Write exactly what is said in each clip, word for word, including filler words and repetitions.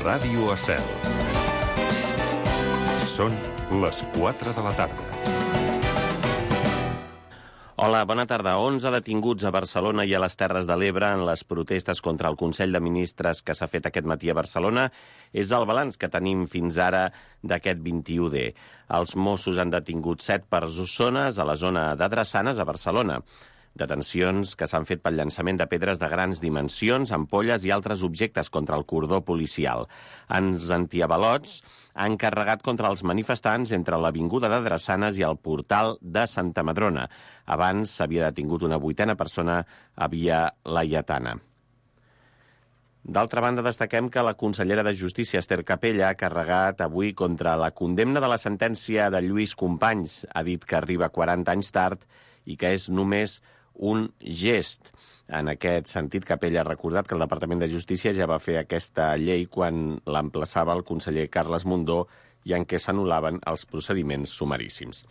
Ràdio Estel. Són les quatre de la tarda. Hola, bona tarda. onze detinguts a Barcelona i a les Terres de l'Ebre en les protestes contra el Consell de Ministres que s'ha fet aquest matí a Barcelona és el balanç que tenim fins ara d'aquest vint-i-u D. Els Mossos han detingut set persones a la zona de Drassanes, a Barcelona. Detencions que s'han fet pel llançament de pedres de grans dimensions, ampolles i altres objectes contra el cordó policial. Els antiavalots han carregat contra els manifestants entre l'Avinguda de Drassanes i el portal de Santa Madrona. Abans s'havia detingut una vuitena persona a Via Laietana. D'altra banda, destaquem que la consellera de Justícia, Ester Capella, ha carregat avui contra la condemna de la sentència de Lluís Companys. Ha dit que arriba quaranta anys tard i que és només un gest. En aquest sentit, Capella ha recordat que el Departament de Justícia ja va fer aquesta llei quan l'emplaçava el conseller Carles Mundó i en què s'anul·laven els procediments sumaríssims.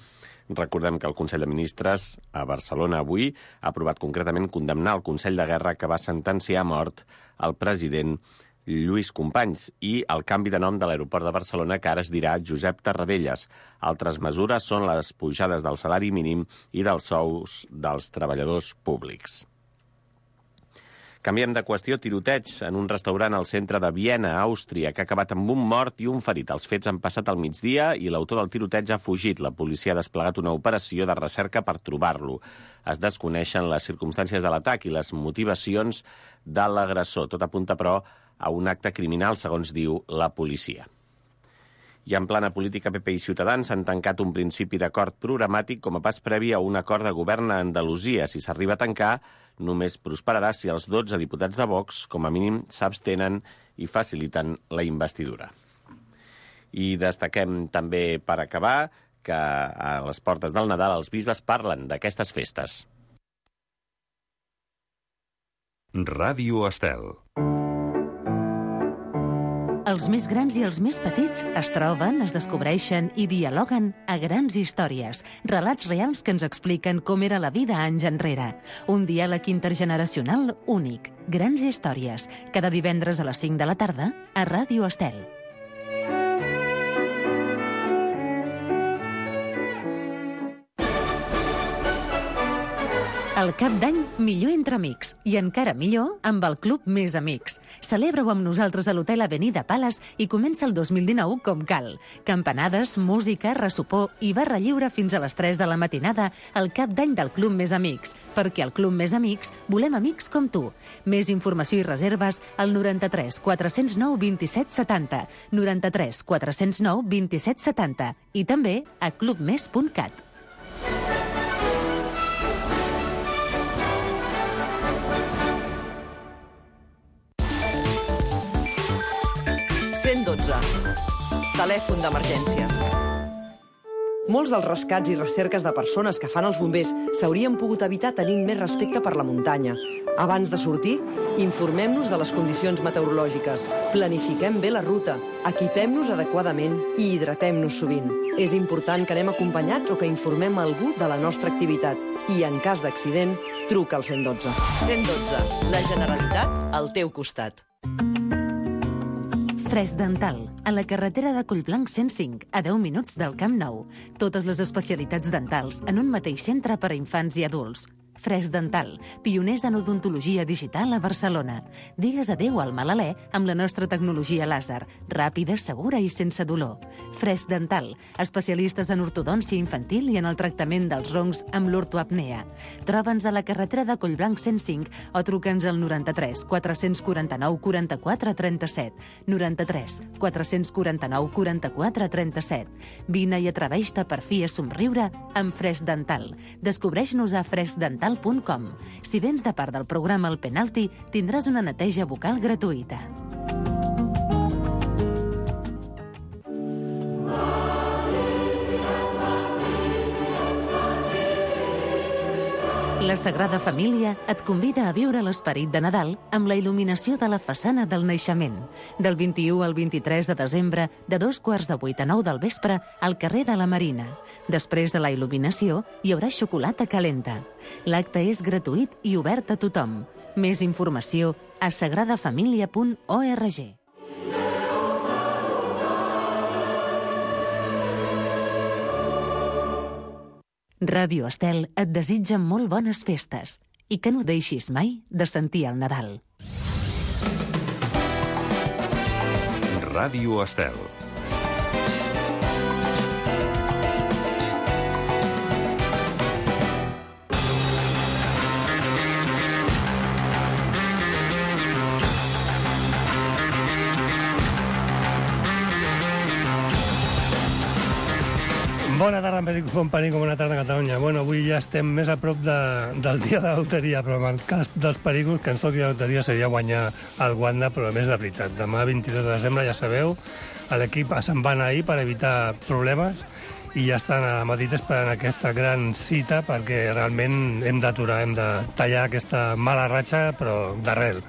Recordem que el Consell de Ministres a Barcelona avui ha aprovat concretament condemnar el Consell de Guerra que va sentenciar a mort el president Lluís Companys i el canvi de nom de l'aeroport de Barcelona, que ara es dirà Josep Tarradellas. Altres mesures són les pujades del salari mínim i dels sous dels treballadors públics. Canviem de qüestió. Tiroteig en un restaurant al centre de Viena, Àustria, que ha acabat amb un mort i un ferit. Els fets han passat al migdia i l'autor del tiroteig ha fugit. La policia ha desplegat una operació de recerca per trobar-lo. Es desconeixen les circumstàncies de l'atac i les motivacions de l'agressor. Tot apunta, però, a un acte criminal, segons diu la policia. I en plana política, P P i Ciutadans han tancat un principi d'acord programàtic com a pas previ a un acord de govern a Andalusia. Si s'arriba a tancar, només prosperarà si els dotze diputats de Vox, com a mínim, s'abstenen i faciliten la investidura. I destaquem també, per acabar, que a les portes del Nadal els bisbes parlen d'aquestes festes. Ràdio Estel. Els més grans i els més petits es troben, es descobreixen i dialoguen a Grans Històries, relats reals que ens expliquen com era la vida anys enrere. Un diàleg intergeneracional únic. Grans Històries, cada divendres a les cinc de la tarda a Ràdio Estel. El cap d'any millor entre amics i encara millor amb el Club Més Amics. Celebra-ho amb nosaltres a l'Hotel Avenida Palace i comença el dos mil dinou com cal. Campanades, música, ressopor i barra lliure fins a les tres de la matinada al cap d'any del Club Més Amics, perquè al Club Més Amics volem amics com tu. Més informació i reserves al noranta-tres quatre-cents nou vint-i-set setanta, noranta-tres quatre-cents nou vint-i-set setanta i també a clubmes punt cat. cent dotze. Telèfon d'emergències. Molts dels rescats i recerques de persones que fan els bombers s'haurien pogut evitar tenint més respecte per la muntanya. Abans de sortir, informem-nos de les condicions meteorològiques, planifiquem bé la ruta, equipem-nos adequadament i hidratem-nos sovint. És important que anem acompanyats o que informem algú de la nostra activitat. I en cas d'accident, truca al cent dotze. cent dotze. La Generalitat al teu costat. Fresc Dental, a la carretera de Collblanc cent cinc, a deu minuts del Camp Nou. Totes les especialitats dentals en un mateix centre per a infants i adults. Fresc Dental, pioners en odontologia digital a Barcelona. Digues adéu al mal alè amb la nostra tecnologia làser, ràpida, segura i sense dolor. Fresc Dental, especialistes en ortodòncia infantil i en el tractament dels roncs amb l'ortoapnea. Troba'ns a la carretera de Collblanc cent cinc o truca'ns al noranta-tres quatre-cents quaranta-nou quaranta-quatre trenta-set, noranta-tres quatre-cents quaranta-nou quaranta-quatre trenta-set. Vine i atreveix-te per fi a somriure amb Fresc Dental. Descobreix-nos a fresc dental punt com. Si vens de part del programa El Penalti, tindràs una neteja bucal gratuïta. La Sagrada Família et convida a viure l'esperit de Nadal amb la il·luminació de la façana del naixement. Del vint-i-u al vint-i-tres de desembre, de dos quarts de vuit a nou del vespre, al carrer de la Marina. Després de la il·luminació, hi haurà xocolata calenta. L'acte és gratuït i obert a tothom. Més informació a sagrada família punt org. Ràdio Estel et desitja molt bones festes i que no deixis mai de sentir el Nadal. Ràdio Estel. Bona tarda, company, com bona tarda a Catalunya. Bueno, avui ja estem més a prop de, del dia de la loteria, però en el cas dels pericos, que ens toqui la loteria seria guanyar el Wanda, però a més de veritat. Demà, vint-i-dos de desembre, ja sabeu, l'equip se'n va anar ahir per evitar problemes i ja estan a Madrid esperant aquesta gran cita perquè realment hem d'aturar, hem de tallar aquesta mala ratxa, però d'arrel.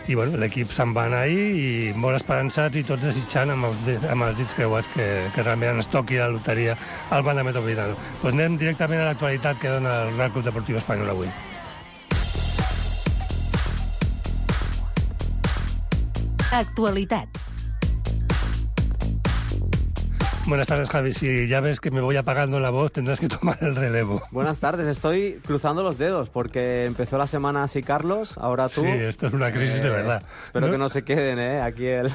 I bueno, l'equip se'n va anar ahir i molt esperançats i tots desitjant amb els, amb els dits creuats que, que realment ens toqui la loteria al Wanda Metropolitano. Pues anem directament a l'actualitat que dona el Real Club Deportiu Espanyol avui. Actualitat. Buenas tardes, Javi. Si ya ves que me voy apagando la voz, tendrás que tomar el relevo. Buenas tardes. Estoy cruzando los dedos porque empezó la semana así Carlos, ahora tú. Sí, esto es una crisis eh, de verdad. Espero ¿No? que no se queden, ¿eh? Aquí el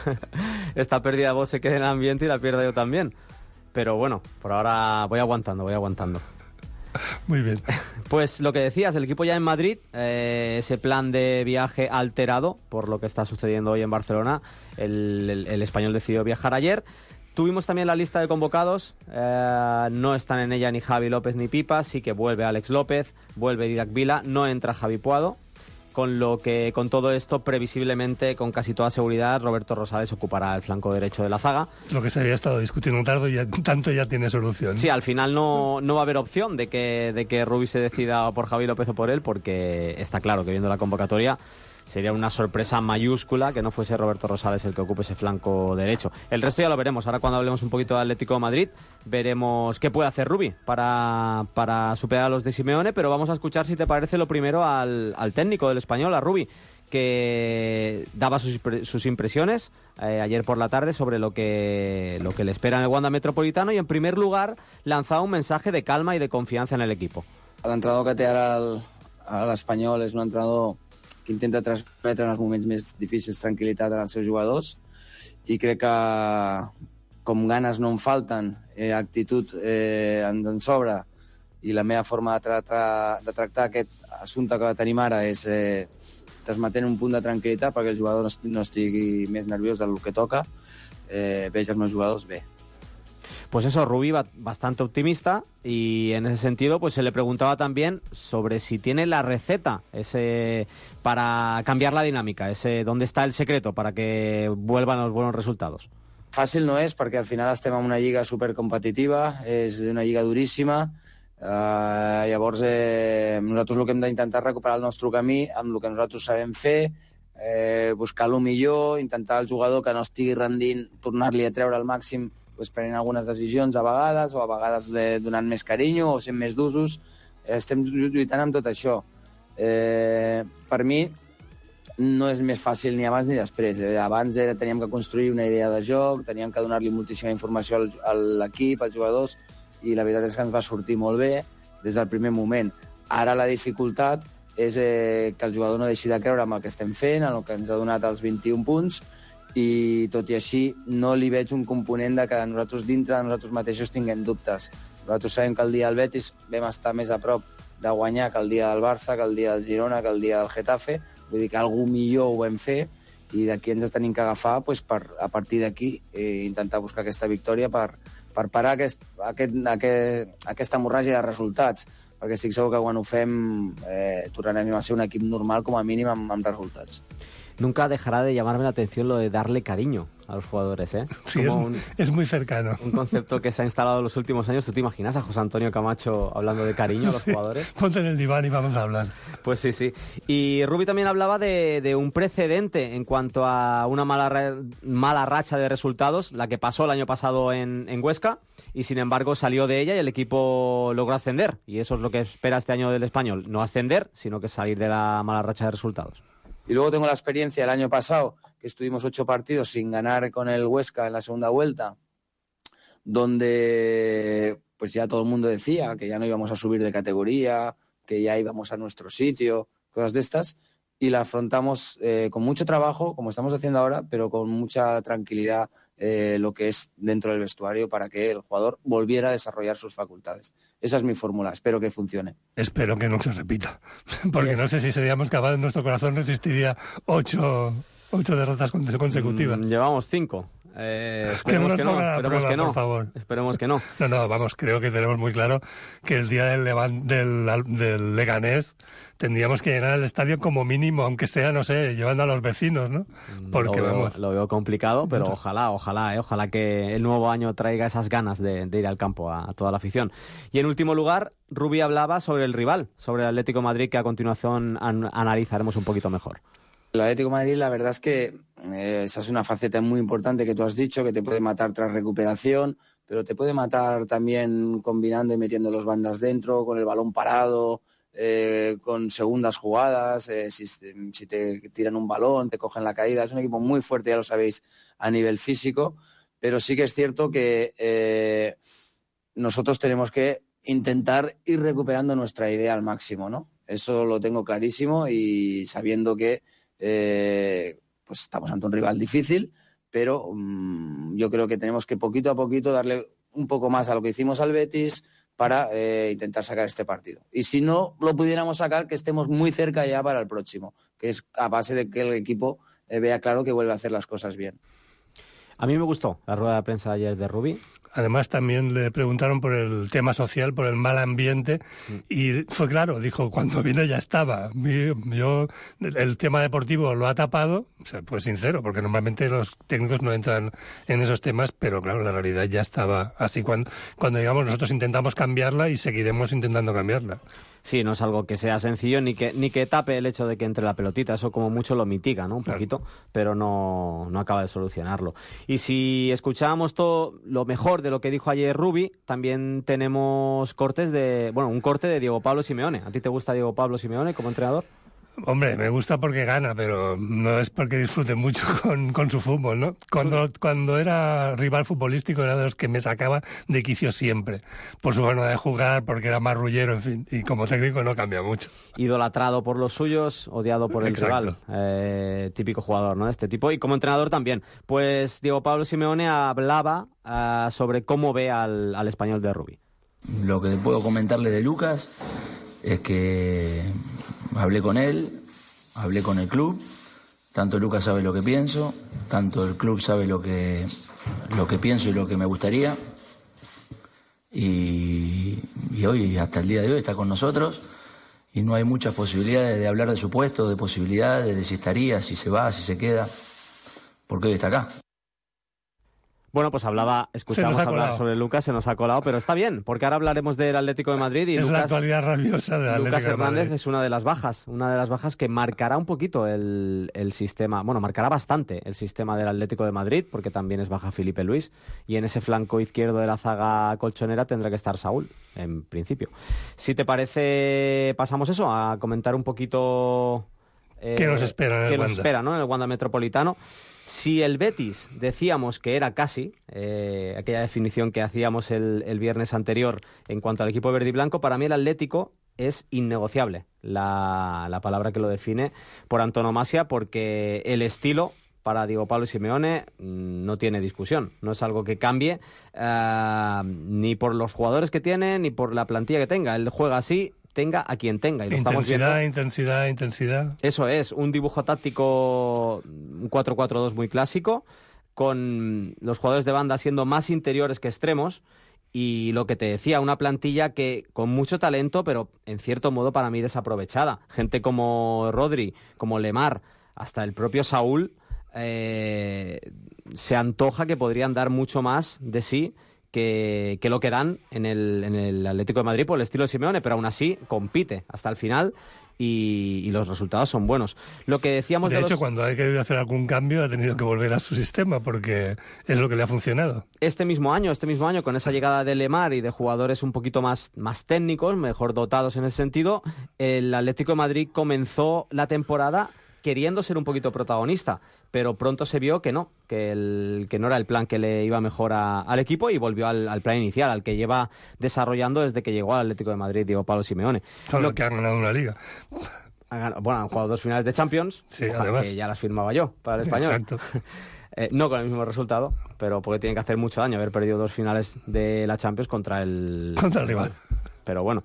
esta pérdida de voz se quede en el ambiente y la pierda yo también. Pero bueno, por ahora voy aguantando, voy aguantando. Muy bien. Pues lo que decías, el equipo ya en Madrid, eh, ese plan de viaje alterado por lo que está sucediendo hoy en Barcelona. El, el, el español decidió viajar ayer. Tuvimos también la lista de convocados, eh, no están en ella ni Javi López ni Pipa, sí que vuelve Alex López, vuelve Didac Vila, no entra Javi Puado, con lo que con todo esto, previsiblemente, con casi toda seguridad, Roberto Rosales ocupará el flanco derecho de la zaga. Lo que se había estado discutiendo tarde ya, tanto ya tiene solución. Sí, al final no, no va a haber opción de que, de que Rubi se decida por Javi López o por él, porque está claro que viendo la convocatoria sería una sorpresa mayúscula que no fuese Roberto Rosales el que ocupe ese flanco derecho. El resto ya lo veremos. Ahora cuando hablemos un poquito de Atlético de Madrid, veremos qué puede hacer Rubi para, para superar a los de Simeone, pero vamos a escuchar, si te parece, lo primero al, al técnico del Español, a Rubi, que daba sus, sus impresiones eh, ayer por la tarde sobre lo que, lo que le espera en el Wanda Metropolitano y, en primer lugar, lanzaba un mensaje de calma y de confianza en el equipo. L'entrenador que té ara el- a l'Espanyol és un entrenador que intenta transmetre en els moments més difícils tranquil·litat als seus jugadors i crec que com ganes no en falten, eh, actitud eh, en, en sobre i la meva forma de, tra tra de tractar aquest assumpte que tenim ara és eh, transmetent un punt de tranquil·litat perquè el jugador no estigui, no estigui més nerviós del que toca, eh, veig els meus jugadors bé. Pues eso, Rubi va bastante optimista y en ese sentido pues se le preguntaba también sobre si tiene la receta ese para cambiar la dinámica, ese dónde está el secreto para que vuelvan los buenos resultados. Fàcil no és perquè al final estem en una lliga supercompetitiva, és una lliga duríssima, eh, llavors eh, nosaltres el que hem d'intentar recuperar el nostre camí amb el que nosaltres sabem fer, eh, buscar el millor, intentar el jugador que no estigui rendint, tornar-li a treure al màxim pues, prenent algunes decisions a vegades, o a vegades eh, donant més carinyo o sent més d'usos. Eh, estem lluitant amb tot això. Eh, per mi no és més fàcil ni abans ni després. Eh, abans era, teníem que construir una idea de joc, teníem que donar-li moltíssima informació al, a l'equip, als jugadors, i la veritat és que ens va sortir molt bé des del primer moment. Ara la dificultat és eh, que el jugador no deixi de creure en el que estem fent, en el que ens ha donat els vint-i-un punts, i tot i així no li veig un component de que nosaltres dintre de nosaltres mateixos tinguem dubtes. Nosaltres sabem que el dia del Betis vam estar més a prop de guanyar que el dia del Barça, que el dia del Girona, que el dia del Getafe, vull dir que alguna millor ho vam fer i d'aquí ens tenim que agafar pues, per, a partir d'aquí eh, intentar buscar aquesta victòria per, per parar aquest, aquest, aquest, aquesta hemorràgia de resultats, perquè estic segur que quan ho fem eh, tornarem a ser un equip normal com a mínim amb, amb resultats. Nunca dejará de llamarme la atención lo de darle cariño a los jugadores, ¿eh? Sí, es, un, es muy cercano. Un concepto que se ha instalado en los últimos años. ¿Tú te imaginas a José Antonio Camacho hablando de cariño a los sí, jugadores? Ponte en el diván y vamos a hablar. Pues sí, sí. Y Rubi también hablaba de, de un precedente en cuanto a una mala, mala racha de resultados, la que pasó el año pasado en, en Huesca, y sin embargo salió de ella y el equipo logró ascender. Y eso es lo que espera este año del Español. No ascender, sino que salir de la mala racha de resultados. Y luego tengo la experiencia del año pasado, que estuvimos ocho partidos sin ganar con el Huesca en la segunda vuelta, donde pues ya todo el mundo decía que ya no íbamos a subir de categoría, que ya íbamos a nuestro sitio, cosas de estas, y la afrontamos eh, con mucho trabajo, como estamos haciendo ahora, pero con mucha tranquilidad eh, lo que es dentro del vestuario para que el jugador volviera a desarrollar sus facultades. Esa es mi fórmula, espero que funcione. Espero que no se repita, porque no sé si seríamos capaces, nuestro corazón resistiría ocho, ocho derrotas consecutivas. Mm, llevamos cinco. Eh, esperemos que que no, no, esperemos prueba, que no. por favor. Esperemos que no. No, no, vamos, creo que tenemos muy claro que el día del, Levan, del, del Leganés tendríamos que llenar el estadio como mínimo, aunque sea, no sé, llevando a los vecinos, ¿no? Porque lo veo, vamos. Lo veo complicado, pero ojalá, ojalá, eh, ojalá que el nuevo año traiga esas ganas de, de ir al campo a, a toda la afición. Y en último lugar, Rubi hablaba sobre el rival, sobre el Atlético de Madrid, que a continuación an- analizaremos un poquito mejor. El Atlético de Madrid, la verdad es que eh, esa es una faceta muy importante que tú has dicho, que te puede matar tras recuperación, pero te puede matar también combinando y metiendo los bandas dentro, con el balón parado, eh, con segundas jugadas, eh, si, si te tiran un balón, te cogen la caída. Es un equipo muy fuerte, ya lo sabéis, a nivel físico, pero sí que es cierto que eh, nosotros tenemos que intentar ir recuperando nuestra idea al máximo, ¿no? Eso lo tengo clarísimo y sabiendo que Eh, pues estamos ante un rival difícil, pero um, yo creo que tenemos que poquito a poquito darle un poco más a lo que hicimos al Betis para eh, intentar sacar este partido. Y si no lo pudiéramos sacar, que estemos muy cerca ya para el próximo, que es a base de que el equipo eh, vea claro que vuelve a hacer las cosas bien. A mí me gustó la rueda de prensa de ayer de Rubi. Además, también le preguntaron por el tema social, por el mal ambiente, y fue claro, dijo, cuando vine ya estaba. Yo, el tema deportivo lo ha tapado, o sea, pues sincero, porque normalmente los técnicos no entran en esos temas, pero claro, la realidad ya estaba así. Cuando, cuando digamos, nosotros intentamos cambiarla y seguiremos intentando cambiarla. Sí, no es algo que sea sencillo ni que ni que tape el hecho de que entre la pelotita, eso como mucho lo mitiga, ¿no? Un claro. poquito, pero no, no acaba de solucionarlo. Y si escuchábamos todo lo mejor de lo que dijo ayer Rubi, también tenemos cortes de, bueno, un corte de Diego Pablo Simeone. ¿A ti te gusta Diego Pablo Simeone como entrenador? Hombre, me gusta porque gana, pero no es porque disfrute mucho con, con su fútbol, ¿no? Cuando, cuando era rival futbolístico era de los que me sacaba de quicio siempre, por su forma de jugar, porque era marrullero, en fin, y como técnico no cambia mucho. Idolatrado por los suyos, odiado por el Exacto. rival. Eh, típico jugador, ¿no? De este tipo. Y como entrenador también. Pues Diego Pablo Simeone hablaba uh, sobre cómo ve al, al español de Rubi. Lo que puedo comentarle de Lucas es que hablé con él, hablé con el club, tanto Lucas sabe lo que pienso, tanto el club sabe lo que, lo que pienso y lo que me gustaría, y, y hoy, hasta el día de hoy, está con nosotros, y no hay muchas posibilidades de hablar de su puesto, de posibilidades, de si estaría, si se va, si se queda, porque hoy está acá. Bueno, pues hablaba, escuchamos hablar colado. sobre Lucas, se nos ha colado, pero está bien, porque ahora hablaremos del Atlético de Madrid y es Lucas, la actualidad rabiosa del Atlético Lucas de Hernández Madrid. es una de las bajas, una de las bajas que marcará un poquito el, el sistema, bueno, marcará bastante el sistema del Atlético de Madrid, porque también es baja Felipe Luis, y en ese flanco izquierdo de la zaga colchonera tendrá que estar Saúl, en principio. Si te parece, pasamos eso, a comentar un poquito Eh, ¿Qué nos espera en el qué nos Wanda? espera, ¿no? En el Wanda Metropolitano. Si el Betis decíamos que era casi, eh, aquella definición que hacíamos el, el viernes anterior en cuanto al equipo verde y blanco, para mí el Atlético es innegociable, la, la palabra que lo define por antonomasia, porque el estilo para Diego Pablo Simeone no tiene discusión, no es algo que cambie uh, ni por los jugadores que tiene ni por la plantilla que tenga, él juega así, tenga a quien tenga. Y lo estamos intensidad, viendo. intensidad, intensidad. Eso es, un dibujo táctico, un cuatro cuatro dos muy clásico, con los jugadores de banda siendo más interiores que extremos, y lo que te decía, una plantilla que con mucho talento, pero en cierto modo para mí desaprovechada. Gente como Rodri, como Lemar, hasta el propio Saúl, eh, se antoja que podrían dar mucho más de sí Que, que lo que dan en el, en el Atlético de Madrid por el estilo de Simeone, pero aún así compite hasta el final y, y los resultados son buenos. Lo que decíamos de, de hecho, los... cuando ha querido hacer algún cambio ha tenido que volver a su sistema porque es lo que le ha funcionado. Este mismo año, este mismo año, con esa llegada de Lemar y de jugadores un poquito más, más técnicos, mejor dotados en ese sentido, el Atlético de Madrid comenzó la temporada queriendo ser un poquito protagonista, pero pronto se vio que no, que, el, que no era el plan que le iba mejor a, al equipo y volvió al, al plan inicial, al que lleva desarrollando desde que llegó al Atlético de Madrid, Diego Pablo Simeone. Con lo que han ganado una liga. Han, bueno, han jugado dos finales de Champions, sí, además. Que ya las firmaba yo para el Español. Exacto. Eh, no con el mismo resultado, pero porque tienen que hacer mucho daño haber perdido dos finales de la Champions contra el, contra el rival. Pero bueno,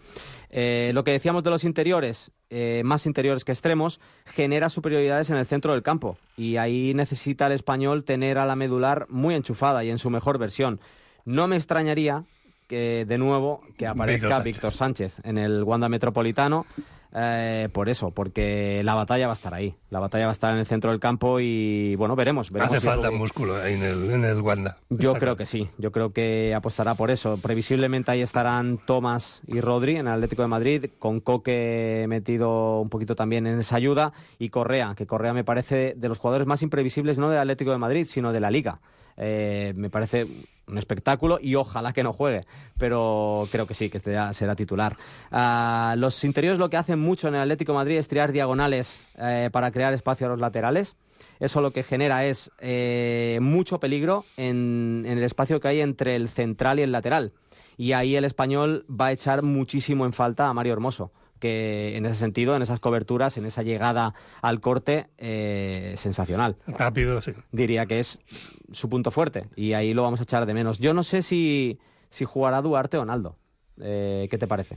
eh, lo que decíamos de los interiores, eh, más interiores que extremos, genera superioridades en el centro del campo. Y ahí necesita el Español tener a la medular muy enchufada y en su mejor versión. No me extrañaría que, de nuevo, que aparezca Víctor Sánchez, Sánchez en el Wanda Metropolitano. Eh, por eso, porque la batalla va a estar ahí. La batalla va a estar en el centro del campo y, bueno, veremos. veremos Hace si falta Rubí... músculo ahí en el, en el Wanda. Yo Está creo claro. que sí. Yo creo que apostará por eso. Previsiblemente ahí estarán Tomás y Rodri en el Atlético de Madrid, con Coque metido un poquito también en esa ayuda, y Correa, que Correa me parece de los jugadores más imprevisibles, no del Atlético de Madrid, sino de la Liga. Eh, me parece un espectáculo y ojalá que no juegue, pero creo que sí, que será, será titular. Uh, los interiores lo que hacen mucho en el Atlético de Madrid es tirar diagonales eh, para crear espacio a los laterales. Eso lo que genera es eh, mucho peligro en, en el espacio que hay entre el central y el lateral. Y ahí el Español va a echar muchísimo en falta a Mario Hermoso, que en ese sentido, en esas coberturas, en esa llegada al corte, eh, sensacional. Rápido, sí. Diría que es su punto fuerte y ahí lo vamos a echar de menos. Yo no sé si, si jugará Duarte o Naldo. Eh, ¿Qué te parece?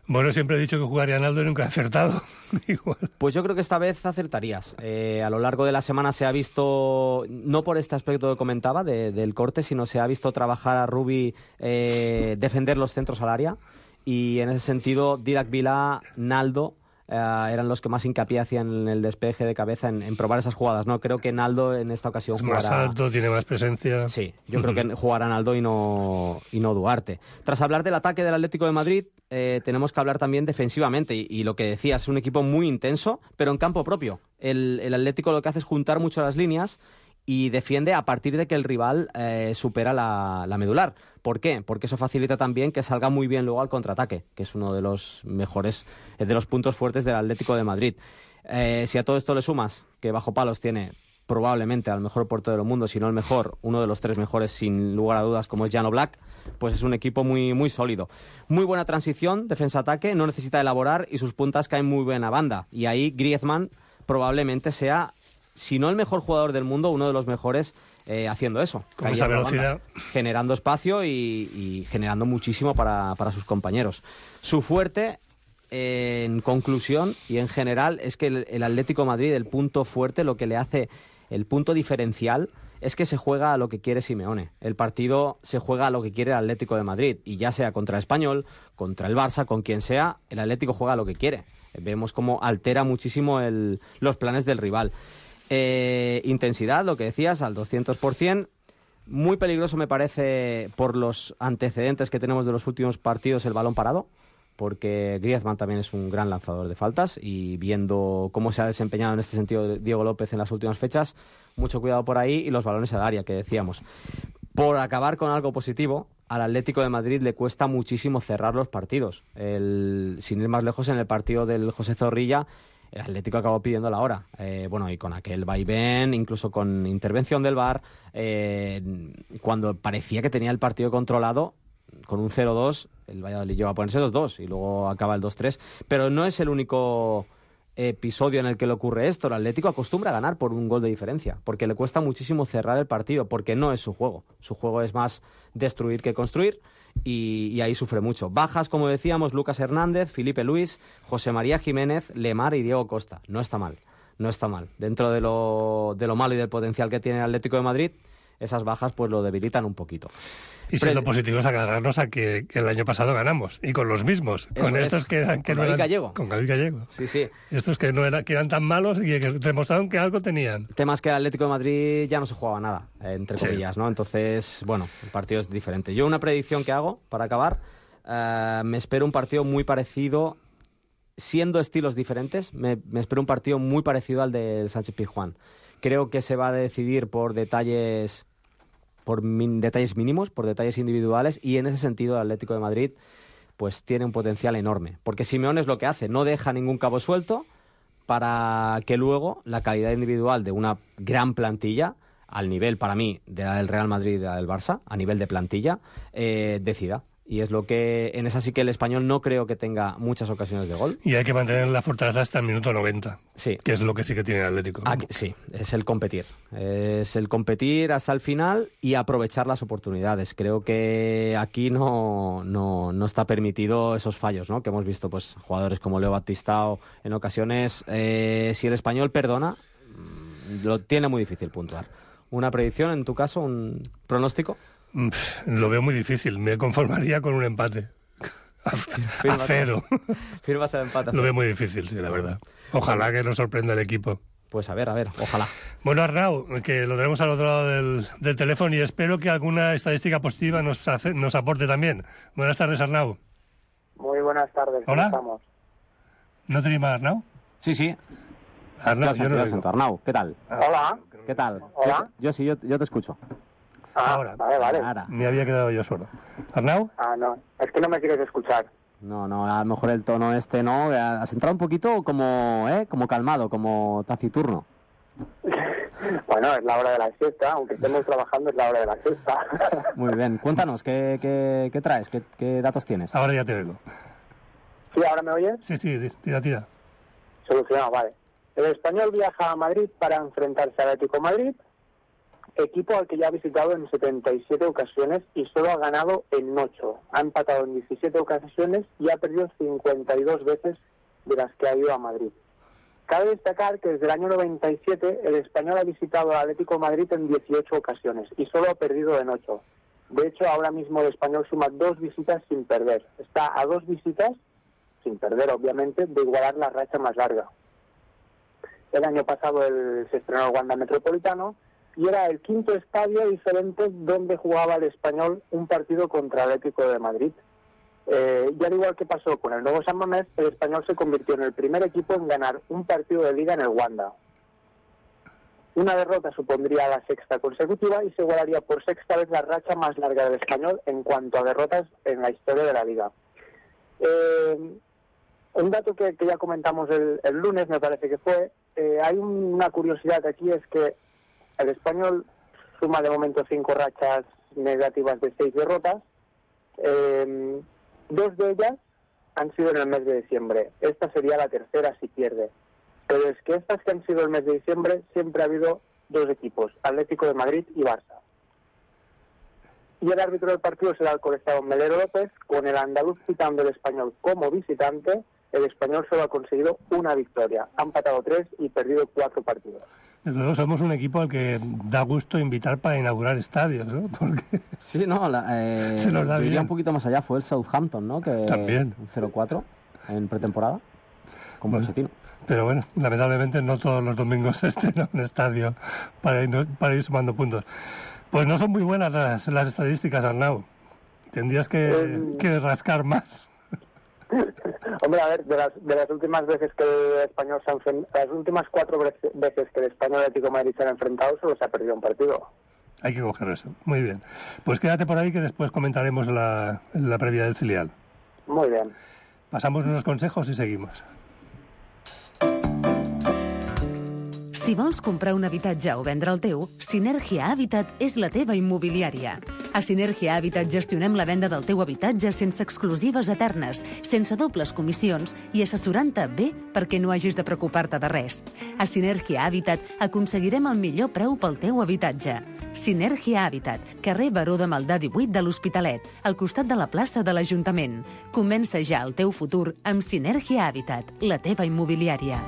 Bueno, siempre he dicho que jugaría Naldo y nunca he acertado. Igual. Pues yo creo que esta vez acertarías. Eh, a lo largo de la semana se ha visto, no por este aspecto que comentaba de, del corte, sino se ha visto trabajar a Rubí, eh, defender los centros al área. Y en ese sentido, Didac Vilá, Naldo, eh, eran los que más hincapié hacían en el despeje de cabeza, en, en probar esas jugadas, ¿no? Creo que Naldo en esta ocasión es jugará... más alto, tiene más presencia. Sí, yo creo que jugará Naldo y no, y no Duarte. Tras hablar del ataque del Atlético de Madrid, eh, tenemos que hablar también defensivamente. Y, y lo que decías, es un equipo muy intenso, pero en campo propio. El, el Atlético lo que hace es juntar mucho las líneas y defiende a partir de que el rival eh, supera la, la medular. ¿Por qué? Porque eso facilita también que salga muy bien luego al contraataque, que es uno de los mejores, eh, de los puntos fuertes del Atlético de Madrid. Eh, si a todo esto le sumas que bajo palos tiene probablemente al mejor portero del mundo, si no el mejor, uno de los tres mejores sin lugar a dudas, como es Jan Oblak, pues es un equipo muy, muy sólido. Muy buena transición, defensa-ataque, no necesita elaborar y sus puntas caen muy buena banda. Y ahí Griezmann probablemente sea, si no el mejor jugador del mundo, uno de los mejores eh, haciendo eso. Con esa velocidad. Banda, generando espacio y, y generando muchísimo para, para sus compañeros. Su fuerte, eh, en conclusión y en general, es que el, el Atlético de Madrid, el punto fuerte, lo que le hace, el punto diferencial, es que se juega a lo que quiere Simeone. El partido se juega a lo que quiere el Atlético de Madrid. Y ya sea contra el Español, contra el Barça, con quien sea, el Atlético juega a lo que quiere. Vemos cómo altera muchísimo el, los planes del rival. Eh, intensidad, lo que decías, al doscientos por ciento. Muy peligroso me parece, por los antecedentes que tenemos de los últimos partidos, el balón parado, porque Griezmann también es un gran lanzador de faltas y viendo cómo se ha desempeñado en este sentido Diego López en las últimas fechas, mucho cuidado por ahí y los balones al área, que decíamos. Por acabar con algo positivo, al Atlético de Madrid le cuesta muchísimo cerrar los partidos. El, sin ir más lejos, en el partido del José Zorrilla, el Atlético acabó pidiendo la hora. Eh, bueno, y con aquel vaivén, incluso con intervención del V A R, eh, cuando parecía que tenía el partido controlado, con un cero dos, el Valladolid llegó a ponerse dos dos y luego acaba el dos tres. Pero no es el único episodio en el que le ocurre esto. El Atlético acostumbra a ganar por un gol de diferencia, porque le cuesta muchísimo cerrar el partido, porque no es su juego. Su juego es más destruir que construir. Y, y ahí sufre mucho. Bajas, como decíamos, Lucas Hernández, Felipe Luis, José María Jiménez, Lemar y Diego Costa. No está mal, no está mal. Dentro de lo, de lo malo y del potencial que tiene el Atlético de Madrid, esas bajas pues lo debilitan un poquito. Y si lo positivo es agarrarnos a que, que el año pasado ganamos, y con los mismos, Eso con es. estos que eran... Que Con no David eran, Gallego. Con David Gallego. Sí, sí. Estos que, no era, que eran tan malos y que demostraron que algo tenían. Temas que el Atlético de Madrid ya no se jugaba nada, eh, entre Sí. comillas, ¿no? Entonces, bueno, el partido es diferente. Yo una predicción que hago, para acabar, eh, me espero un partido muy parecido, siendo estilos diferentes, me, me espero un partido muy parecido al del Sánchez-Pizjuán. Creo que se va a decidir por detalles... por min, detalles mínimos, por detalles individuales, y en ese sentido el Atlético de Madrid pues tiene un potencial enorme, porque Simeone es lo que hace, no deja ningún cabo suelto para que luego la calidad individual de una gran plantilla, al nivel, para mí, de la del Real Madrid y de la del Barça, a nivel de plantilla, eh, decida. Y es lo que, en esa sí que el Español no creo que tenga muchas ocasiones de gol. Y hay que mantener la fortaleza hasta el minuto noventa, sí. que es lo que sí que tiene el Atlético. Aquí, sí, es el competir. Es el competir hasta el final y aprovechar las oportunidades. Creo que aquí no, no, no está permitido esos fallos, ¿no? Que hemos visto, pues, jugadores como Leo Batistao en ocasiones. Eh, si el Español perdona, lo tiene muy difícil puntuar. ¿Una predicción, en tu caso, un pronóstico? Lo veo muy difícil. Me conformaría con un empate. A, a cero. Firmas el empate. Lo veo muy difícil, sí, la verdad. Ojalá que nos sorprenda el equipo. Pues a ver, a ver, ojalá. Bueno, Arnau, que lo tenemos al otro lado del, del teléfono y espero que alguna estadística positiva nos, hace, nos aporte también. Buenas tardes, Arnau. Muy buenas tardes. Hola. ¿Cómo estamos? ¿No te llamas Arnau? Sí, sí. Arnau, yo no lo siento. Arnau, ¿qué tal? Hola. ¿Qué tal? Hola. Yo, yo sí, yo, yo te escucho. Ah, Ahora. vale, vale. Ahora. Me había quedado yo solo. ¿Arnau? Ah, no. Es que no me quieres escuchar. No, no, a lo mejor el tono este, ¿no? Has entrado un poquito como, ¿eh? Como calmado, como taciturno. Bueno, es la hora de la siesta. Aunque estemos trabajando, es la hora de la siesta. Muy bien. Cuéntanos, ¿qué, qué, qué traes? ¿Qué, ¿Qué datos tienes? Ahora ya te oigo. ¿Sí, ahora me oyes? Sí, sí, tira, tira. Solucionado, vale. El Español viaja a Madrid para enfrentarse al Atlético de Madrid, equipo al que ya ha visitado en setenta y siete ocasiones y solo ha ganado en ocho. Ha empatado en diecisiete ocasiones y ha perdido cincuenta y dos veces de las que ha ido a Madrid. Cabe destacar que desde el año noventa y siete el Español ha visitado al Atlético de Madrid en dieciocho ocasiones y solo ha perdido en ocho. De hecho, ahora mismo el Español suma dos visitas sin perder. Está a dos visitas, sin perder obviamente, de igualar la racha más larga. El año pasado el, se estrenó el Wanda Metropolitano y era el quinto estadio diferente donde jugaba el Español un partido contra el Atlético de Madrid. Eh, y al igual que pasó con el nuevo San Mamés, el Español se convirtió en el primer equipo en ganar un partido de liga en el Wanda. Una derrota supondría la sexta consecutiva y se igualaría por sexta vez la racha más larga del Español en cuanto a derrotas en la historia de la liga. Eh, un dato que, que ya comentamos el, el lunes, me parece que fue, eh, hay una curiosidad aquí, es que el Español suma de momento cinco rachas negativas de seis derrotas. Eh, dos de ellas han sido en el mes de diciembre. Esta sería la tercera si pierde. Pero es que estas que han sido el mes de diciembre siempre ha habido dos equipos, Atlético de Madrid y Barça. Y el árbitro del partido será el colegiado Melero López, con el andaluz citando el Español como visitante. El Español solo ha conseguido una victoria. Ha empatado tres y perdido cuatro partidos. Desde luego somos un equipo al que da gusto invitar para inaugurar estadios, ¿no? Porque sí, no, la, eh, se nos da bien. Un poquito más allá fue el Southampton, ¿no? Que también. Un cero cuatro en pretemporada, con bueno, Pochettino. Pero bueno, lamentablemente no todos los domingos se estrena un estadio para ir, para ir sumando puntos. Pues no son muy buenas las, las estadísticas, Arnau. Tendrías que, eh... que rascar más. Hombre, a ver, de las, de las últimas veces que el Español se ha enfrentado, las últimas cuatro veces que el Español y el Atlético de Madrid se han enfrentado, solo se ha perdido un partido. Hay que coger eso. Muy bien. Pues quédate por ahí que después comentaremos la, la previa del filial. Muy bien. Pasamos unos consejos y seguimos. Si vols comprar un habitatge o vendre el teu, Sinergia Habitat és la teva immobiliària. A Sinergia Habitat gestionem la venda del teu habitatge sense exclusives eternes, sense dobles comissions i assessorant-te bé perquè no hagis de preocupar-te de res. A Sinergia Habitat aconseguirem el millor preu pel teu habitatge. Sinergia Habitat, carrer Baró de Maldà divuit de l'Hospitalet, al costat de la plaça de l'Ajuntament. Comença ja el teu futur amb Sinergia Habitat, la teva immobiliària.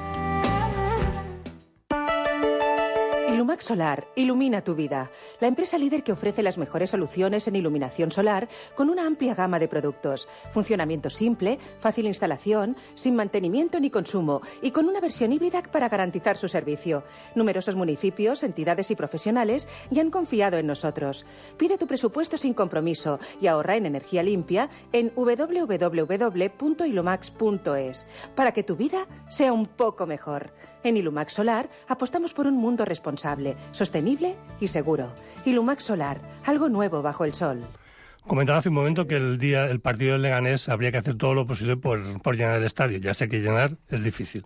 Ilumax Solar ilumina tu vida. La empresa líder que ofrece las mejores soluciones en iluminación solar con una amplia gama de productos. Funcionamiento simple, fácil instalación, sin mantenimiento ni consumo y con una versión híbrida para garantizar su servicio. Numerosos municipios, entidades y profesionales ya han confiado en nosotros. Pide tu presupuesto sin compromiso y ahorra en energía limpia en doble u doble u doble u punto ilumax punto es para que tu vida sea un poco mejor. En Ilumax Solar apostamos por un mundo responsable, sostenible y seguro. Ilumax Solar, algo nuevo bajo el sol. Comentaba hace un momento que el día el partido del Leganés habría que hacer todo lo posible por, por llenar el estadio. Ya sé que llenar es difícil.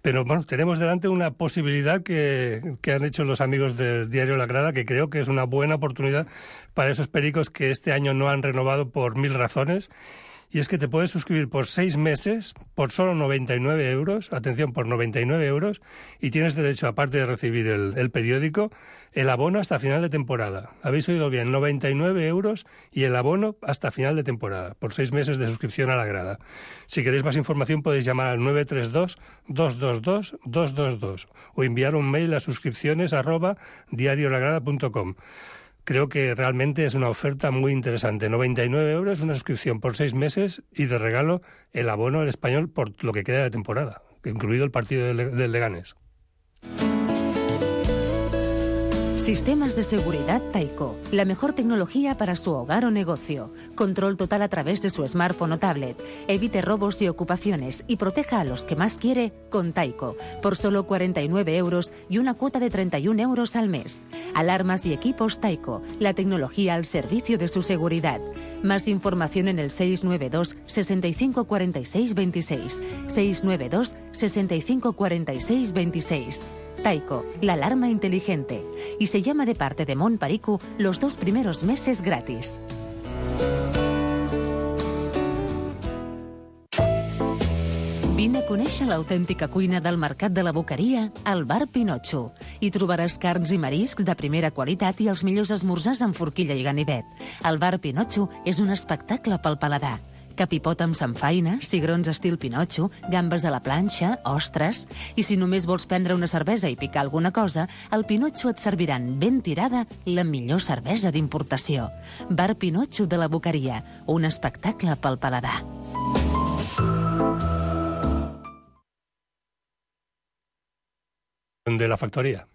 Pero bueno, tenemos delante una posibilidad que, que han hecho los amigos del diario La Grada, que creo que es una buena oportunidad para esos pericos que este año no han renovado por mil razones. Y es que te puedes suscribir por seis meses, por solo noventa y nueve euros, atención, por noventa y nueve euros, y tienes derecho, aparte de recibir el, el periódico, el abono hasta final de temporada. Habéis oído bien, noventa y nueve euros y el abono hasta final de temporada, por seis meses de suscripción a La Grada. Si queréis más información podéis llamar al nueve tres dos, dos dos dos, dos dos dos o enviar un mail a suscripciones arroba diariolagrada punto com. Creo que realmente es una oferta muy interesante. noventa y nueve euros, una suscripción por seis meses y de regalo el abono al Español por lo que queda de temporada, incluido el partido del, del Leganés. Sistemas de seguridad Tyco. La mejor tecnología para su hogar o negocio. Control total a través de su smartphone o tablet. Evite robos y ocupaciones y proteja a los que más quiere con Tyco. Por solo cuarenta y nueve euros y una cuota de treinta y un euros al mes. Alarmas y equipos Tyco. La tecnología al servicio de su seguridad. Más información en el seis nueve dos, sesenta y cinco cuarenta y seis veintiséis. seis nueve dos, sesenta y cinco cuarenta y seis veintiséis. Tyco, la alarma inteligente. Y se llama de parte de Mont Perico los dos primeros meses gratis. Vine a conèixer l'autèntica cuina del Mercat de la Boqueria al Bar Pinotxo. Hi trobaràs carns i mariscs de primera qualitat i els millors esmorzars amb forquilla i ganivet. El Bar Pinotxo és un espectacle pel paladar. Capipot amb samfaina, cigrons estil Pinotxo, gambes a la planxa, ostres... I si només vols prendre una cervesa i picar alguna cosa, al Pinotxo et serviran ben tirada la millor cervesa d'importació. Bar Pinotxo de la Boqueria, un espectacle pel paladar. De la factoría.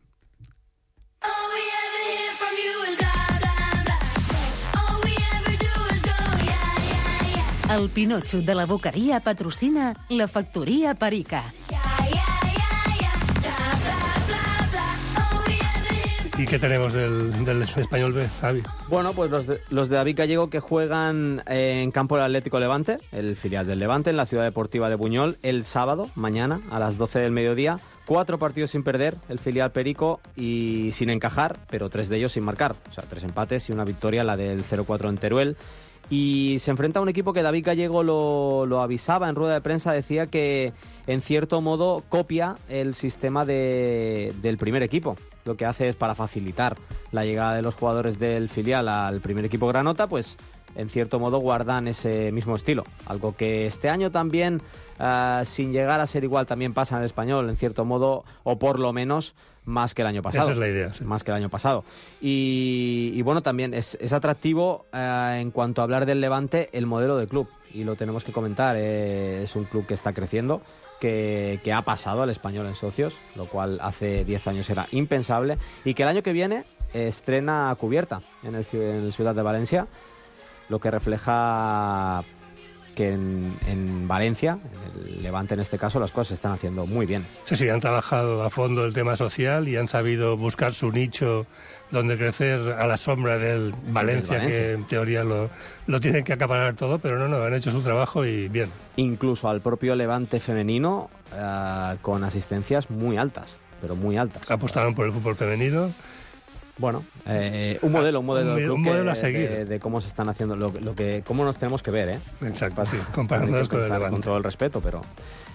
El Pinotxo de la Boqueria patrocina la Factoria Perica. ¿Y qué tenemos del, del Español B, Javi? Bueno, pues los de, los de David Gallego que juegan eh, en campo del Atlético Levante, el filial del Levante, en la Ciudad Deportiva de Buñol, el sábado, mañana, a las doce del mediodía. Cuatro partidos sin perder, el filial Perico, y sin encajar, pero tres de ellos sin marcar. O sea, tres empates y una victoria, la del cero cuatro en Teruel. Y se enfrenta a un equipo que David Gallego lo, lo avisaba en rueda de prensa, decía que en cierto modo copia el sistema de, del primer equipo. Lo que hace es, para facilitar la llegada de los jugadores del filial al primer equipo granota, pues en cierto modo guardan ese mismo estilo. Algo que este año también, uh, sin llegar a ser igual, también pasa en el Español, en cierto modo, o por lo menos más que el año pasado. Esa es la idea, sí. Más que el año pasado. Y, y bueno, también es, es atractivo uh, en cuanto a hablar del Levante, el modelo de club. Y lo tenemos que comentar. Eh, es un club que está creciendo, que, que ha pasado al Español en socios, lo cual hace diez años era impensable. Y que el año que viene estrena cubierta en el, en el Ciudad de Valencia, lo que refleja que en, en Valencia, en el Levante en este caso, las cosas se están haciendo muy bien. Sí, sí, han trabajado a fondo el tema social y han sabido buscar su nicho donde crecer a la sombra del Valencia, Valencia. que en teoría lo, lo tienen que acaparar todo, pero no, no, han hecho su trabajo y bien. Incluso al propio Levante femenino, eh, con asistencias muy altas, pero muy altas. Apostaron por el fútbol femenino. Bueno, eh, un modelo, un modelo, un, un modelo que, a seguir. De, de cómo se están haciendo, lo, lo que, cómo nos tenemos que ver, ¿eh? Exacto, sí, comparándonos con el Levante. Con todo el respeto, pero,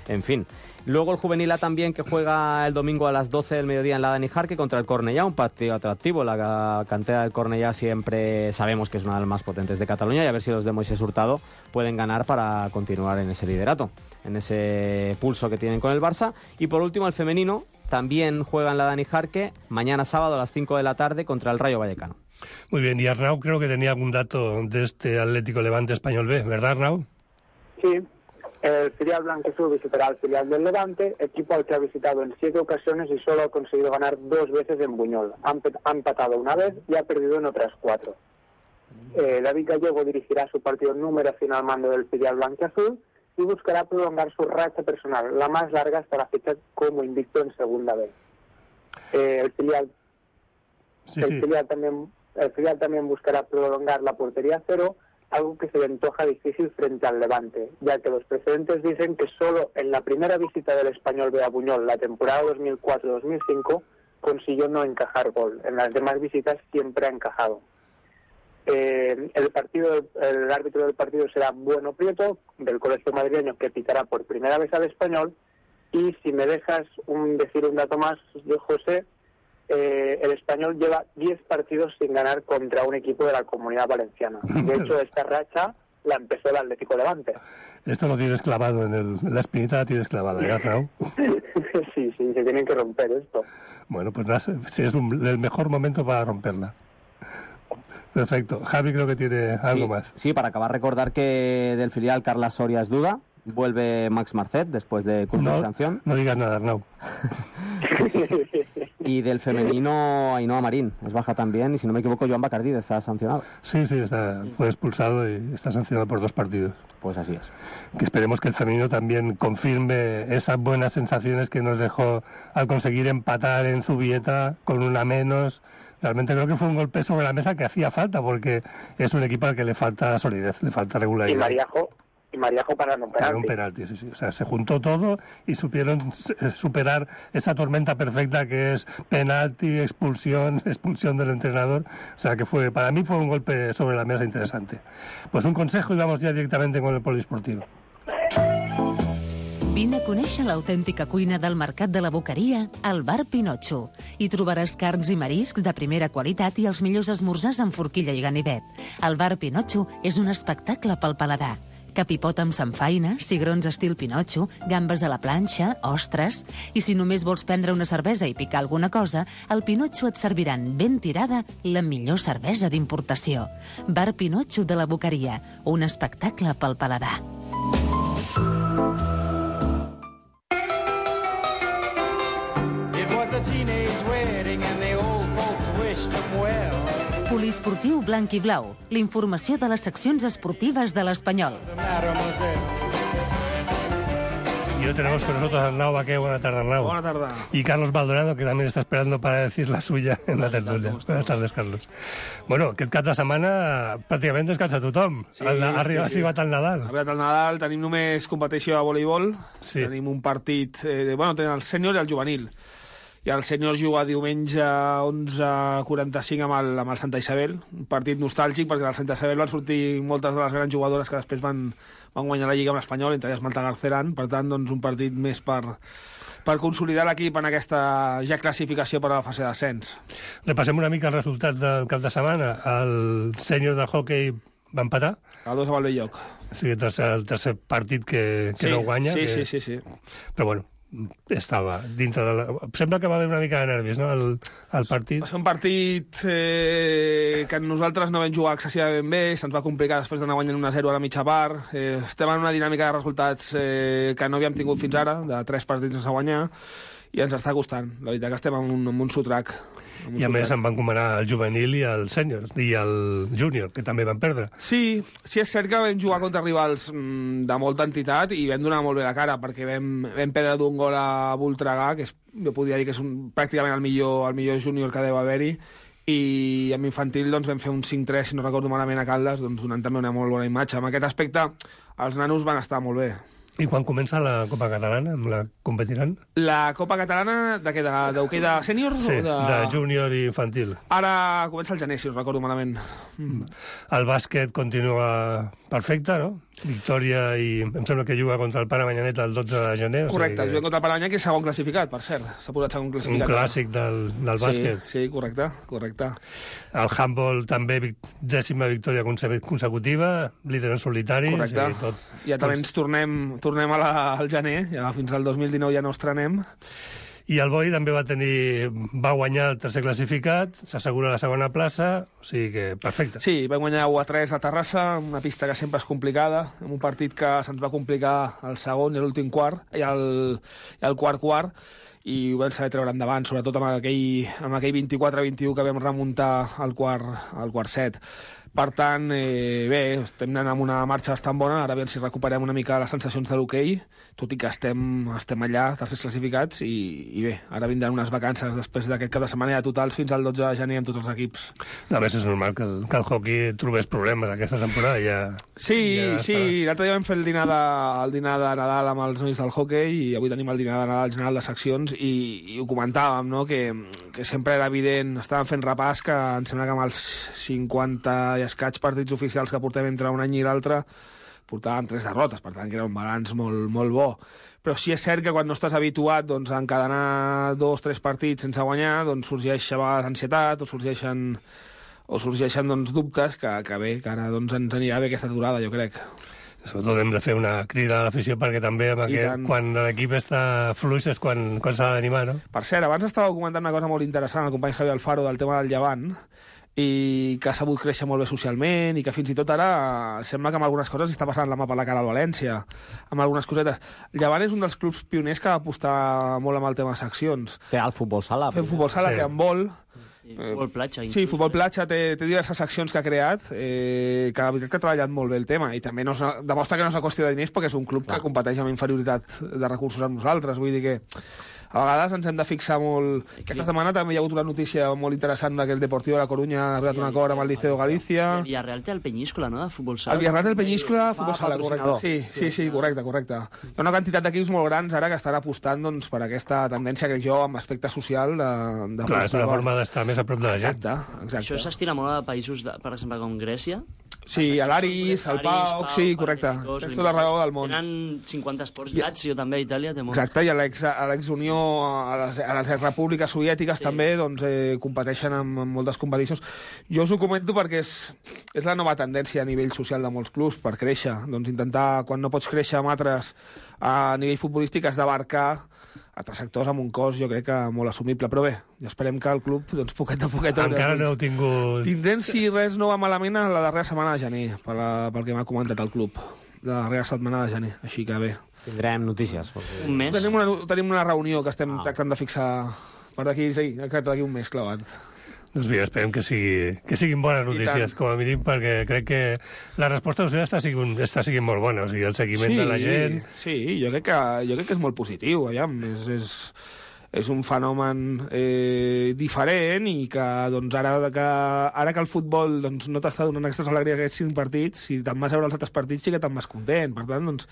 en fin. Luego el Juvenil A también, que juega el domingo a las doce del mediodía en la Dani Jarque contra el Cornellá, un partido atractivo. La cantera del Cornellá siempre sabemos que es una de las más potentes de Cataluña, y a ver si los de Moisés Hurtado pueden ganar para continuar en ese liderato, en ese pulso que tienen con el Barça. Y por último el femenino también juega en la Dani Jarque mañana sábado a las cinco de la tarde contra el Rayo Vallecano. Muy bien, y Arnau creo que tenía algún dato de este Atlético Levante Español B, ¿verdad, Arnau? Sí, el filial blanquiazul visitará al filial del Levante, equipo al que ha visitado en siete ocasiones y solo ha conseguido ganar dos veces en Buñol. Ha empatado una vez y ha perdido en otras cuatro. Eh, David Gallego dirigirá su partido número cien al mando del filial blanquiazul y buscará prolongar su racha personal, la más larga hasta la fecha como invicto en segunda vez. Eh, el filial, sí, el sí. filial también, el filial también buscará prolongar la portería cero algo que se le antoja difícil frente al Levante, ya que los precedentes dicen que solo en la primera visita del Español B a Buñol, la temporada dos mil cuatro dos mil cinco, consiguió no encajar gol. En las demás visitas siempre ha encajado. Eh, el partido, el árbitro del partido será Bueno Prieto, del Colegio Madrileño, que pitará por primera vez al Español. Y si me dejas un, decir un dato más, yo, José, eh, el Español lleva diez partidos sin ganar contra un equipo de la Comunidad Valenciana. De hecho, esta racha la empezó el Atlético Levante. Esto lo tienes clavado en el, la espinita, la tienes clavada, ¿ya, Raúl? Sí, sí, se tienen que romper esto. Bueno, pues nada, sí, es un, el mejor momento para romperla. Perfecto. Javi creo que tiene algo sí, más. Sí, para acabar, recordar que del filial Carlas Soria es duda. Vuelve Max Marcet después de cumplir no, sanción. No digas nada, Arnau. Y del femenino, Ainhoa Marín es baja también. Y si no me equivoco, Joan Bacardí está sancionado. Sí, sí, está, fue expulsado y está sancionado por dos partidos. Pues así es. Que esperemos que el femenino también confirme esas buenas sensaciones que nos dejó al conseguir empatar en Zubieta con una menos. Realmente creo que fue un golpe sobre la mesa que hacía falta, porque es un equipo al que le falta solidez, le falta regularidad. Y Mariajo, y Mariajo para un penalti. Para un penalti, sí, sí. O sea, se juntó todo y supieron superar esa tormenta perfecta que es penalti, expulsión, expulsión del entrenador. O sea, que fue, para mí fue un golpe sobre la mesa interesante. Pues un consejo y vamos ya directamente con el poliesportivo. Vine a conèixer l'autèntica cuina del Mercat de la Boqueria al Bar Pinotxo. Hi trobaràs carns i mariscs de primera qualitat i els millors esmorzars amb forquilla i ganivet. El Bar Pinotxo és un espectacle pel paladar. Capipot amb samfaina, cigrons estil Pinotxo, gambes a la planxa, ostres... I si només vols prendre una cervesa i picar alguna cosa, al Pinotxo et serviran ben tirada la millor cervesa d'importació. Bar Pinotxo de la Boqueria, un espectacle pel paladar. Poliesportiu blanc i blau. L'informació de les seccions esportives de l'Espanyol. Y hoy tenemos con nosotros a Arnau Baqué. Buenas tardes, Arnau. Buenas tardes. Y Carlos Maldonado, que también está esperando para decir la suya en la tertulia. Buenas tardes, Carlos. Bueno, aquest cap de setmana pràcticament descansa tothom. Sí, ha arribat, sí, sí. arribat el Nadal. Ha arribat el Nadal, tenim només competició de voleibol, sí. Tenim un partit, eh, bueno, tenim el sènior i el juvenil. I el sènior juga diumenge a onze quaranta-cinc amb el, amb el Santa Isabel, un partit nostàlgic perquè del Santa Isabel van sortir moltes de les grans jugadores que després van, van guanyar la Lliga amb l'Espanyol, entre elles Malta Garceran, per tant, doncs, un partit més per, per consolidar l'equip en aquesta ja classificació per a la fase d'ascens. Repassem una mica els resultats del cap de setmana. El sènior de hockey va empatar. A dos a Valbelloc. Sí, el tercer, el tercer partit que, que sí, no guanya. Sí, que... sí, sí, sí. Però bueno, estava dintre de la... Sembla que va haver una mica de nervis, no?, el, el partit. Va ser un partit eh, que nosaltres no vam jugar excessivament bé, se'ns va complicar després d'anar guanyant un a zero a la mitja part. Eh, estem en una dinàmica de resultats eh, que no havíem tingut fins ara, de tres partits sense guanyar, i ens està costant. La veritat que estem en un, en un sotrac. I a més em van comanar el juvenil i el sènior, i el júnior, que també van perdre. Sí, sí és cert que vam jugar contra rivals mm, de molta entitat i vam donar molt bé la cara, perquè vam, vam perdre d'un gol a Voltregà, que és, jo podria dir que és un, pràcticament el millor, el millor júnior que deu haver-hi, i amb infantil doncs, vam fer un cinc tres, si no recordo malament, a Caldes, doncs, donant també una molt bona imatge. En aquest aspecte, els nanos van estar molt bé. I quan comença la Copa Catalana? Amb la competiran? La Copa Catalana, de què? D'hoquei de, de sènior? Sí, de... de júnior i infantil. Ara comença el gener, si no recordo malament. Mm. El bàsquet continua perfecte, no? Victòria, i em sembla que juga contra el Paramanyanet el dotze de gener. Correcte, o sigui que... juga contra el Paramanyanet, que és segon classificat, per cert. S'ha posat segon classificat. Un clàssic del, del bàsquet. Sí, sí, correcte, correcte. El handball també, dècima victòria consecutiva, líder en solitari. Correcte. Sí, tot, ja també ens tornem, tornem a la, al gener, ja fins al dos mil dinou ja no estrenem. I el Boi també va tenir, va guanyar el tercer classificat, s'assegura la segona plaça, o sigui que perfecte. Sí, va guanyar u a tres a Terrassa, una pista que sempre és complicada, en un partit que se'ns va complicar el segon i l'últim quart, i el, i el quart quart, i ho vam saber treure endavant, sobretot amb aquell, amb aquell vint-i-quatre vint-i-u que vam remuntar al quart, al quart set. Per tant, eh, bé, estem anant amb una marxa bastant bona, ara a veure si recuperem una mica les sensacions de l'hoquei, tot i que estem, estem allà, tercers classificats, i, i bé, ara vindran unes vacances després d'aquest cap de setmana ja totals fins al dotze de gener amb tots els equips. A més, és normal que el, que el hockey trobés problemes aquesta temporada. Ja, sí, ja sí, l'altre dia vam fer el dinar, de, el dinar de Nadal amb els nois del hockey i avui tenim el dinar de Nadal general de seccions i, i ho comentàvem, no?, que, que sempre era evident, estàvem fent repàs que em sembla que amb els cinquanta i escaig partits oficials que portem entre un any i l'altre portàvem tres derrotes, per tant que era un balanç molt, molt bo. Però sí és cert que quan no estàs habituat doncs, a encadenar dos o tres partits sense guanyar, doncs sorgeix a vegades ansietat o sorgeixen, o sorgeixen doncs, dubtes que, que bé, que ara doncs, ens anirà bé aquesta aturada, jo crec. Sobretot hem de fer una crida a l'afició perquè també amb aquest, quan l'equip està fluix és quan, quan s'ha d'animar, no? Per cert, abans estava comentant una cosa molt interessant el company Javi Alfaro del tema del Llevant, i que ha sabut créixer molt bé socialment i que fins i tot ara sembla que amb algunes coses està passant la mà per la cara al València, amb algunes cosetes. Llevant és un dels clubs pioners que va apostar molt amb el tema de seccions. Té el futbol sala. Té futbol sala, sí. Té handbol. I futbol platja. Sí, futbol platja, té, té diverses seccions que ha creat, eh, que la veritat que ha treballat molt bé el tema, i també no és, demostra que no és una qüestió de diners perquè és un club Clar. que competeix amb inferioritat de recursos amb nosaltres, vull dir que a vegades ens hem de fixar molt... Aquesta setmana també hi ha hagut una notícia molt interessant que el Deportivo de la Coruña ha arribat sí, un acord amb el Liceo Galícia. El Villarreal té el Peñíscola, no?, de futbol sala. El Villarreal té el Peñíscola, de futbol sala, correcte. Sí, sí, sí, correcte, correcte. Hi ha una quantitat d'equips molt grans ara que estan apostant doncs, per aquesta tendència, crec jo, amb aspecte social de... de Clar, és una forma d'estar més a prop de la gent. Exacte, exacte. Això s'estira molt a països, de, per exemple, com Grècia. Sí, a l'Aris, al Pau, sí, correcte. Tens tota la raó del món. Tenen cinquanta esports Lazio, també, a Itàlia té molt. Exacte, i a l'ex-Unió, a les, a les repúbliques soviètiques sí. també doncs, eh, competeixen en, en moltes competicions. Jo us ho comento perquè és, és la nova tendència a nivell social de molts clubs per créixer. Doncs intentar, quan no pots créixer amb altres a nivell futbolístic, has d'abarcar altres sectors amb un cost, jo crec que molt assumible. Però bé, ja esperem que el club, doncs, poquet a poquet... Encara no heu tingut... Tindrem, si res no va malament, a la darrera setmana de gener, per la, pel que m'ha comentat el club. La darrera setmana de gener, així que bé. Tindrem notícies. Perquè... Un mes? Tenim una, tenim una reunió que estem ah. tractant de fixar per d'aquí, sí, d'aquí un mes, clavat. Doncs bé, esperem que, sigui, que siguin bones notícies, com a mínim, perquè crec que la resposta social està siguin, està siguin molt bona, o sigui, el seguiment sí, de la gent... Sí, jo crec que, jo crec que és molt positiu, aviam, és, és, és un fenomen eh, diferent i que, doncs, ara que, ara que el futbol doncs, no t'està donant aquestes alegries aquests cinc partits, si te'n vas a veure els altres partits sí que te'n vas content, per tant, doncs,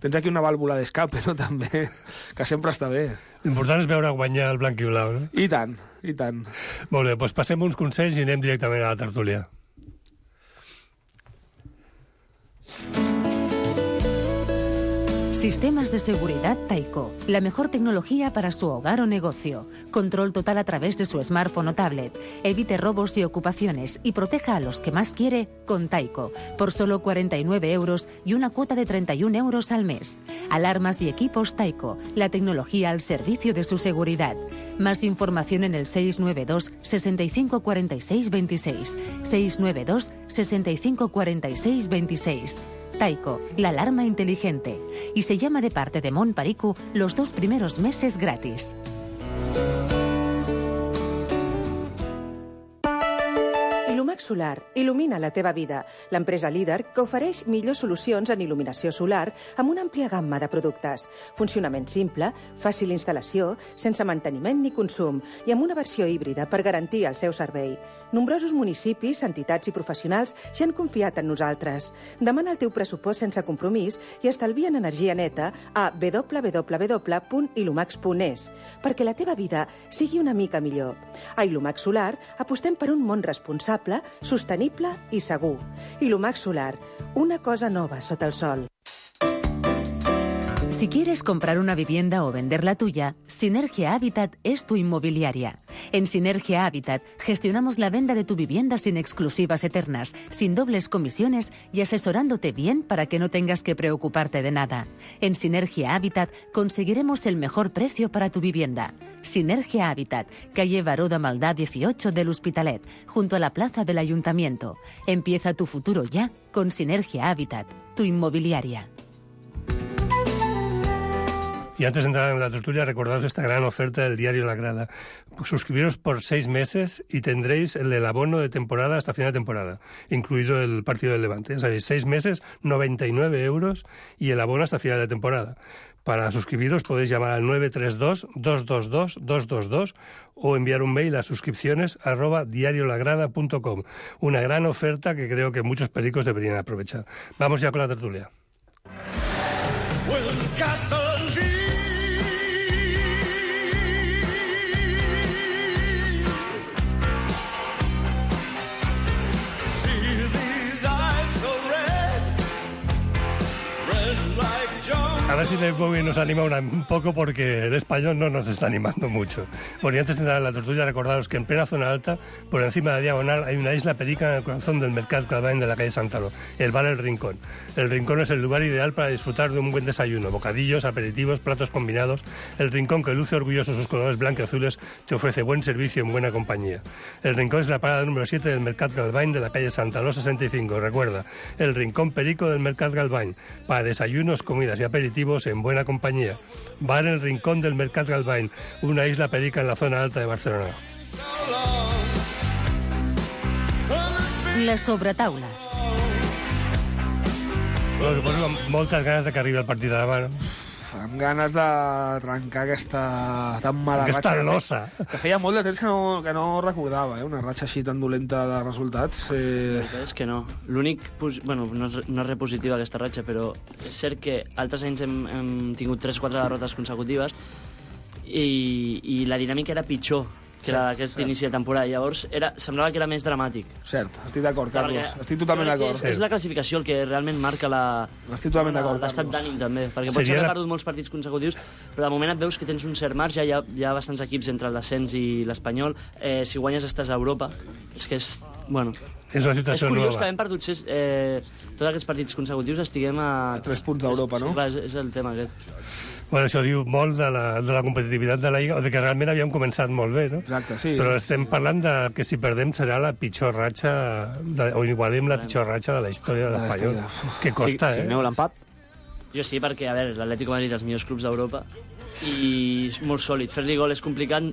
tens aquí una vàlvula d'escape, no?, també, que sempre està bé. L'important és veure guanyar el blanc i blau, no? I tant, i tant. Molt bé, doncs passem uns consells i anem directament a la tertúlia. Sistemas de seguridad Taiko, la mejor tecnología para su hogar o negocio. Control total a través de su smartphone o tablet. Evite robos y ocupaciones y proteja a los que más quiere con Taiko, por solo cuarenta y nueve euros y una cuota de treinta y un euros al mes. Alarmas y equipos Taiko, la tecnología al servicio de su seguridad. Más información en el seis nueve dos, sesenta y cinco cuarenta y seis veintiséis. seis nueve dos, sesenta y cinco cuarenta y seis veintiséis. Taiko, la alarma inteligente. Y se llama de parte de Mon Pariku los dos primeros meses gratis. Ilumax Solar il·lumina la teva vida. L'empresa líder que ofereix millors solucions en il·luminació solar amb una àmplia gamma de productes. Funcionament simple, fàcil instal·lació, sense manteniment ni consum i amb una versió híbrida per garantir el seu servei. Nombrosos municipis, entitats i professionals ja han confiat en nosaltres. Demana el teu pressupost sense compromís i estalvia en energia neta a w w w punt ilumax punt es perquè la teva vida sigui una mica millor. A Ilumax Solar apostem per un món responsable, sostenible i segur. Ilumax Solar, una cosa nova sota el sol. Si quieres comprar una vivienda o vender la tuya, Sinergia Habitat es tu inmobiliaria. En Sinergia Habitat gestionamos la venta de tu vivienda sin exclusivas eternas, sin dobles comisiones y asesorándote bien para que no tengas que preocuparte de nada. En Sinergia Habitat conseguiremos el mejor precio para tu vivienda. Sinergia Habitat, calle Baró de Maldà dieciocho del Hospitalet, junto a la plaza del Ayuntamiento. Empieza tu futuro ya con Sinergia Habitat, tu inmobiliaria. Y antes de entrar en la tertulia, recordaros esta gran oferta del diario La Grada. Suscribiros por seis meses y tendréis el, el abono de temporada hasta final de temporada, incluido el partido del Levante. Sabéis, seis meses, noventa y nueve euros y el abono hasta final de temporada. Para suscribiros podéis llamar al nueve tres dos, dos dos dos, dos dos dos o enviar un mail a suscripciones arroba diariolagrada punto com. Una gran oferta que creo que muchos pericos deberían aprovechar. Vamos ya con la tertulia. A ver si Dave Bowie nos anima una, un poco porque el español no nos está animando mucho. Bueno, y antes de entrar en la tertulia, recordaros que en plena zona alta, por encima de la diagonal, hay una isla perica en el corazón del Mercat Galvany de la calle Santalo, el bar El Rincón. El Rincón es el lugar ideal para disfrutar de un buen desayuno, bocadillos, aperitivos, platos combinados. El Rincón, que luce orgulloso sus colores blancos y azules, te ofrece buen servicio en buena compañía. El Rincón es la parada número siete del Mercat Galvany de la calle Santalo sesenta y cinco. Recuerda, el Rincón Perico del Mercat Galvany, para desayunos, comidas y aperitivos en buena compañía. Bar El Rincón del Mercat Galvany, una isla perica en la zona alta de Barcelona. La sobretaula. Bueno, suposo amb moltes ganes de que arribi el partit de demà, no? Amb ganes d'arrencar aquesta tan mala aquesta ratxa. losa. Que feia molt de temps que no, que no recordava, eh? Una ratxa així tan dolenta de resultats. Eh... La veritat és que no. L'únic... Bueno, no és, no és repositiva aquesta ratxa, però és cert que altres anys hem, hem tingut tres o quatre derrotes consecutives i, i la dinàmica era pitjor que era aquest inici de temporada. Llavors, era, semblava que era més dramàtic. Cert, estic d'acord, Carlos. Perquè estic totalment d'acord. És, és la classificació el que realment marca la, estic totalment d'acord, l'estat Carlos. d'ànim, també. Perquè pots haver perdut molts partits consecutius, però de moment et veus que tens un cert marge, hi ha, hi ha bastants equips entre el descens i l'Espanyol. Eh, si guanyes estàs a Europa. És que és... Bueno, és una situació és curiós nova. que havent perdut eh, tots aquests partits consecutius estiguem a... A tres punts d'Europa, no? Sí, clar, és, és el tema aquest. Bueno, això diu molt de la, de la competitivitat de la Lliga, o de que realment havíem començat molt bé, no? Exacte, sí. Però estem parlant de que si perdem serà la pitjor ratxa, de, o igualem la pitjor ratxa de la història de l'Espanyol. Que costa, si, eh? Si aneu l'empat? Jo sí, perquè, a veure, l'Atlético de Madrid és els millors clubs d'Europa i és molt sòlid. Fer-li gol és complicat.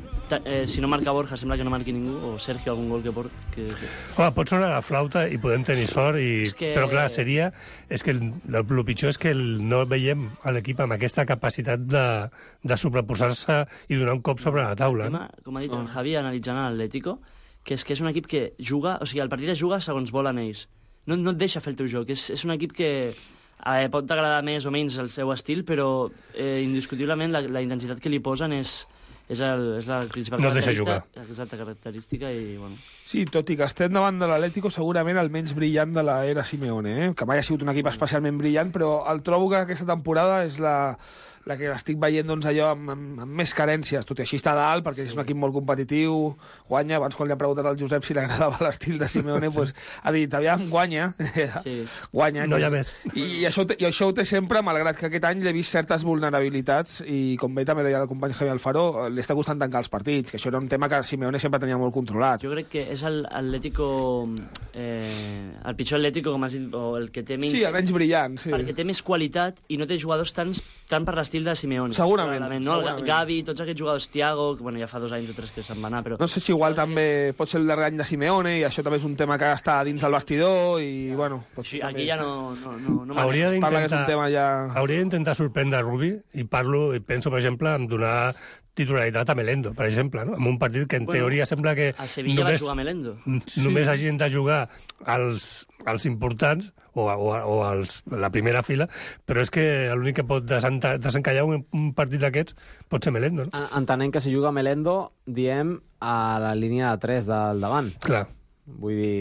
Eh, si no marca Borja, sembla que no marqui ningú, o Sergio, algun gol que port. Que, que... Home, pot sonar la flauta i podem tenir sort, i... que... però clar, seria... És que el, el, el pitjor és que el, no veiem a l'equip amb aquesta capacitat de, de sobreposar-se i donar un cop sobre la taula. Tema, com ha dit el Javi, analitzant l'Atlético, que és que és un equip que juga... O sigui, el partit es juga segons volen ells. No, no et deixa fer el teu joc. És, és un equip que... A veure, pot agradar més o menys el seu estil, però eh, indiscutiblement la, la intensitat que li posen és, és, el, és la principal no característica. Exacta característica i, bueno... Sí, tot i que estem davant de l'Atlético segurament el menys brillant de l'era Simeone, eh? Que mai ha sigut un equip especialment brillant, però el trobo que aquesta temporada és la... la que l'estic veient doncs, allò amb, amb, amb més carències, tot i així està a dalt, perquè és un equip molt competitiu, guanya. Abans, quan li ha preguntat al Josep si li agradava l'estil de Simeone, sí. Pues, ha dit, aviam, guanya, sí. guanya. No hi ha més. I, i, això, I això ho té sempre, malgrat que aquest any l'he vist certes vulnerabilitats, i com bé també deia el company Javi Alfaro, li està costant tancar els partits, que això era un tema que Simeone sempre tenia molt controlat. Jo crec que és el Atlético, eh, el pitjor Atlético, com has dit, o el que té menys... Sí, el menys brillant, sí. Perquè té més qualitat i no té jugadors tan, tan per l'estil de Simeone. Segurament. No? segurament. Gavi, tots aquests jugadors, Thiago, que bueno, ja fa dos anys o tres que se'n va anar, però... No sé si igual també pot ser el darrer any de Simeone, i això també és un tema que està dins del vestidor, i bueno... Sí, aquí ja no... no, no, no hauria d'intentar ja... hauria d'intentar sorprendre Rubi, i parlo, i penso, per exemple, en donar titularitat a Melendo, per exemple, no? En un partit que en bueno, teoria sembla que... A Sevilla només, va jugar Melendo. Només sí. hagin de jugar els, els importants, o, o, o els, la primera fila, però és que l'únic que pot desencallar un, un partit d'aquests pot ser Melendo, no? Entenent que si juga Melendo, diem a la línia de tres del davant. Clar. Vull dir,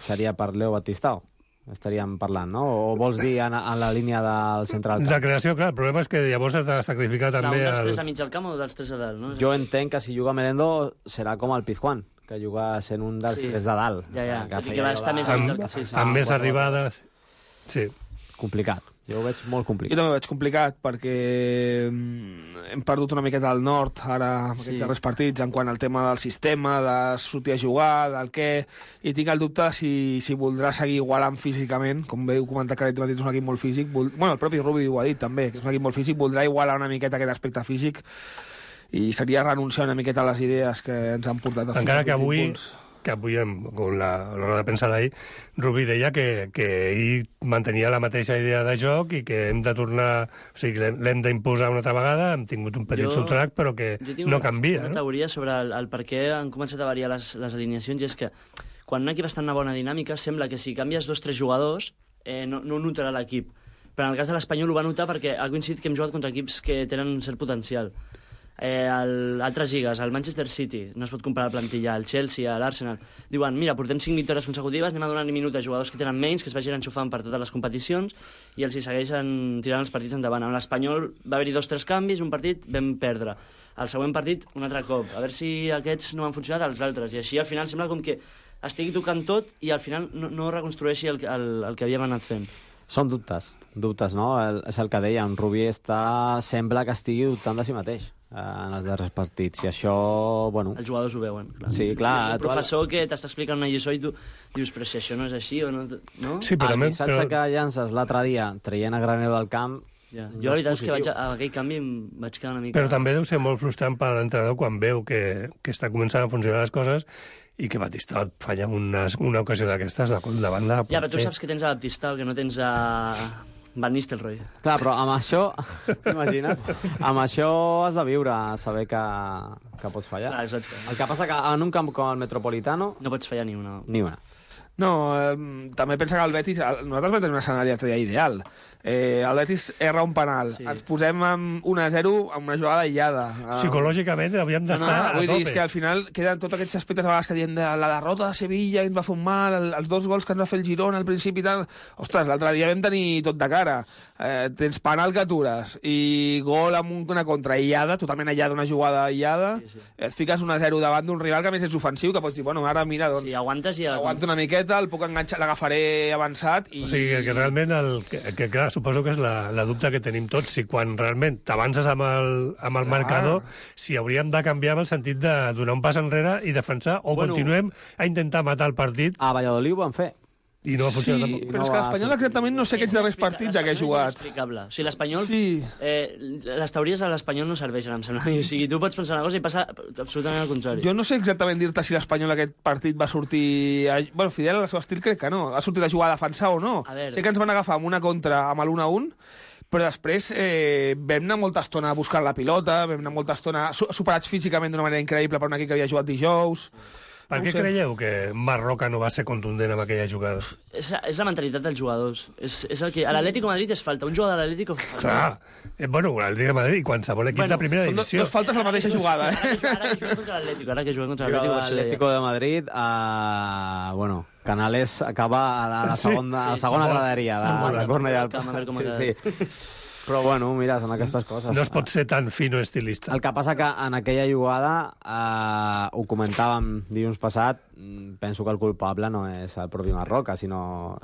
seria per Leo Batistao. Estaríem parlant, no? O vols dir en, en la línia del central? La creació, clar, el problema és que llavors has de sacrificar clar, també... Un dels el... tres a mig al camp o dels tres a dalt, no? Jo entenc que si juga Melendo serà com el Pizjuán, que juga sent un dels sí. tres de dalt. Ja, ja, que, que, que va estar més a mig al camp. Sí, sí. Amb més arribades... Sí. Complicat. Jo ho veig molt Jo complicat. també ho veig complicat, perquè hem perdut una miqueta al nord, ara, amb aquests Sí. darrers partits, en quant al tema del sistema, de sortir a jugar, del què, i tinc el dubte si, si voldrà seguir igualant físicament, com veu comentar que l'Atlètic és un equip molt físic, vol... bueno, el propi Rubi ho ha dit també, que és un equip molt físic, voldrà igualar una miqueta aquest aspecte físic, i seria renunciar una miqueta a les idees que ens han portat a Encara que fins als avui, punts. que avui amb amb la, la roda de premsa d'ahir, Rubí deia que, que ell mantenia la mateixa idea de joc i que hem de tornar... O sigui, l'hem l'hem d'imposar una altra vegada, hem tingut un petit Jo- subtrac, però que Jo tinc no una, canvia, una no? teoria sobre el, el per què han començat a variar les, les alineacions, i és que quan un equip està en una bona dinàmica, sembla que si canvies dos o tres jugadors eh, no, no ho notarà l'equip. Però en el cas de l'Espanyol ho va notar perquè ha coincidit que hem jugat contra equips que tenen un cert potencial. Eh, el, altres lligues, el Manchester City, no es pot comparar la plantilla, el Chelsea, l'Arsenal, diuen, mira, portem cinc victòries consecutives, anem a donar minuts a jugadors que tenen menys, que es vagin enxufant per totes les competicions, i els hi segueixen tirant els partits endavant. Amb l'Espanyol va haver-hi dos o tres canvis, un partit vam perdre. El següent partit, un altre cop. A veure si aquests no han funcionat, els altres. I així al final sembla com que estigui tocant tot i al final no, no reconstrueixi el, el, el que havíem anat fent. Són dubtes, dubtes, no? El, és el que deia, en Rubí està... sembla que estigui dubtant de si mateix eh, en els darrers partits, i això, bueno... Els jugadors ho veuen, clar. Sí, clar. És un professor que t'està explicant una lliçó i tu dius, però si això no és així o no... no? Sí, però el més- missatge però- que llances l'altre dia, traient a Granero del camp... Ja. no Jo la veritat és que vaig, positiu. a, a aquell canvi em vaig quedar una mica... Però també deu ser molt frustrant per a l'entrenador quan veu que, que està començant a funcionar les coses i que Batista et falla una, una ocasió d'aquestes de, davant de... Ja, però tu saps que tens a Baptista, el que no tens a Van Nistelrooy. Clar, però amb això, t'imagines? Amb això has de viure, saber que, que pots fallar. Clar, exacte. El que passa que en un camp com el Metropolitano... No pots fallar ni una. Ni una. No, eh, també pensa que el Betis... Nosaltres vam tenir un escenari l'altre dia ideal. Eh, el Betis erra un penal. Sí. Ens posem amb un a zero amb una jugada aïllada. Psicològicament havíem d'estar no, no, a vull dir, tope. és que al final queden tots aquests aspectes a vegades que diem de la derrota de Sevilla, que ens va fer un mal, el, els dos gols que ens va fer el Girona al principi i tal. Ostres, l'altre dia vam tenir tot de cara. Eh, tens penal que atures i gol amb una contra aïllada, totalment aïllada, una jugada aïllada. Sí, sí. Et fiques un a zero davant d'un rival que a més és ofensiu, que pots dir, bueno, ara mira, doncs... Sí, aguantes i... Aguanto una miqueta, el puc enganxar, l'agafaré avançat i... O sigui, que, que realment, el, que, que clar, suposo que és la, la dubte que tenim tots, si quan realment t'avances amb el, amb el Clar. marcador, si hauríem de canviar amb el sentit de donar un pas enrere i defensar, o Bueno. continuem a intentar matar el partit A Valladolid ho van fer. i no va funcionar Sí, tampoc. però No és que va l'Espanyol sortir. exactament no sé aquests darrers partits a què ha jugat. És inexplicable. O sigui, l'Espanyol... Sí. Eh, les teories a l'Espanyol no serveixen, em sembla. O sigui, tu pots pensar una cosa i passa absolutament al contrari. Jo no sé exactament dir-te si l'Espanyol aquest partit va sortir... A... Bueno, fidel al seu estil crec que no. Ha sortit a jugar a defensar o no. A veure. Sé que ens van agafar amb una contra amb l'un a un, però després eh, vam anar molta estona buscant la pilota, vam anar molta estona su- superats físicament d'una manera increïble per un equip que havia jugat dijous. Per No què ho sé. creieu que Marroca no va ser contundent amb aquella jugada? És, és la mentalitat dels jugadors. És, és el que... A l'Atlético de Madrid és falta. Un jugador de l'Atlético... Clar, eh, bueno, el Real Madrid i qualsevol equip Bueno, de primera Són dos, divisió. dos faltes a la mateixa jugada. Eh? Ara que juga contra l'Atlético, ara que juga contra Però l'Atlético... per això deia. l'Atlético de Madrid, uh, bueno, Canales acaba a la, a la Sí, segona, a la sí, segona sí, graderia, sí, la, molt la bé. corna i el Camp, a veure com sí, ha sí. Però bueno, mira, són aquestes coses. No es pot ser tan fino estilista. El que passa que en aquella jugada, eh, ho comentàvem dilluns passat, mm, penso que el culpable no és el propi Marroca, sinó...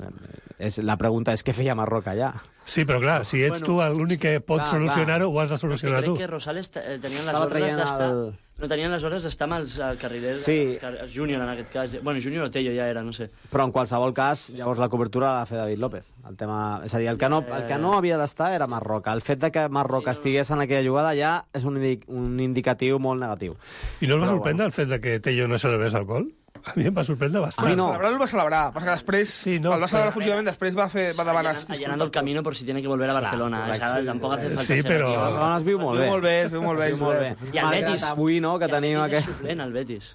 És, la pregunta és què feia Marroca allà? Sí, però clar, si ets Bueno, tu l'únic que pot clar, solucionar-ho, ho has de És que solucionar crec tu. que Rosales eh, tenien les Estava ordres traient d'estar... el- No tenien les ordres d'estar amb els eh, carrilers, Sí. els, car- els júnior en aquest cas. Bueno, júnior o Tello ja era, no sé. Però en qualsevol cas, llavors la cobertura la va fer David López. El tema... És a dir, el que no, el que no havia d'estar era Marroca. El fet de que Marroca estigués en aquella jugada ja és un, indi un indicatiu molt negatiu. I no el va Però, sorprendre el fet de que Tello no celebrés el gol? A mi em va sorprendre bastant. A mi no. Celebrar-lo el va celebrar, passa que després, Sí, no, el va celebrar però- fugidament, després va, fer, va demanar... Allanando, allanando el camino por si tiene que volver a Barcelona. correcte. Clar, tampoc hace falta Sí, ser però- aquí. La segona es viu molt bé. Viu molt bé, es viu molt bé. Es viu molt bé. I el Malgrat Betis. avui, no?, que I el tenim Betis és aquest... suplent, el Betis.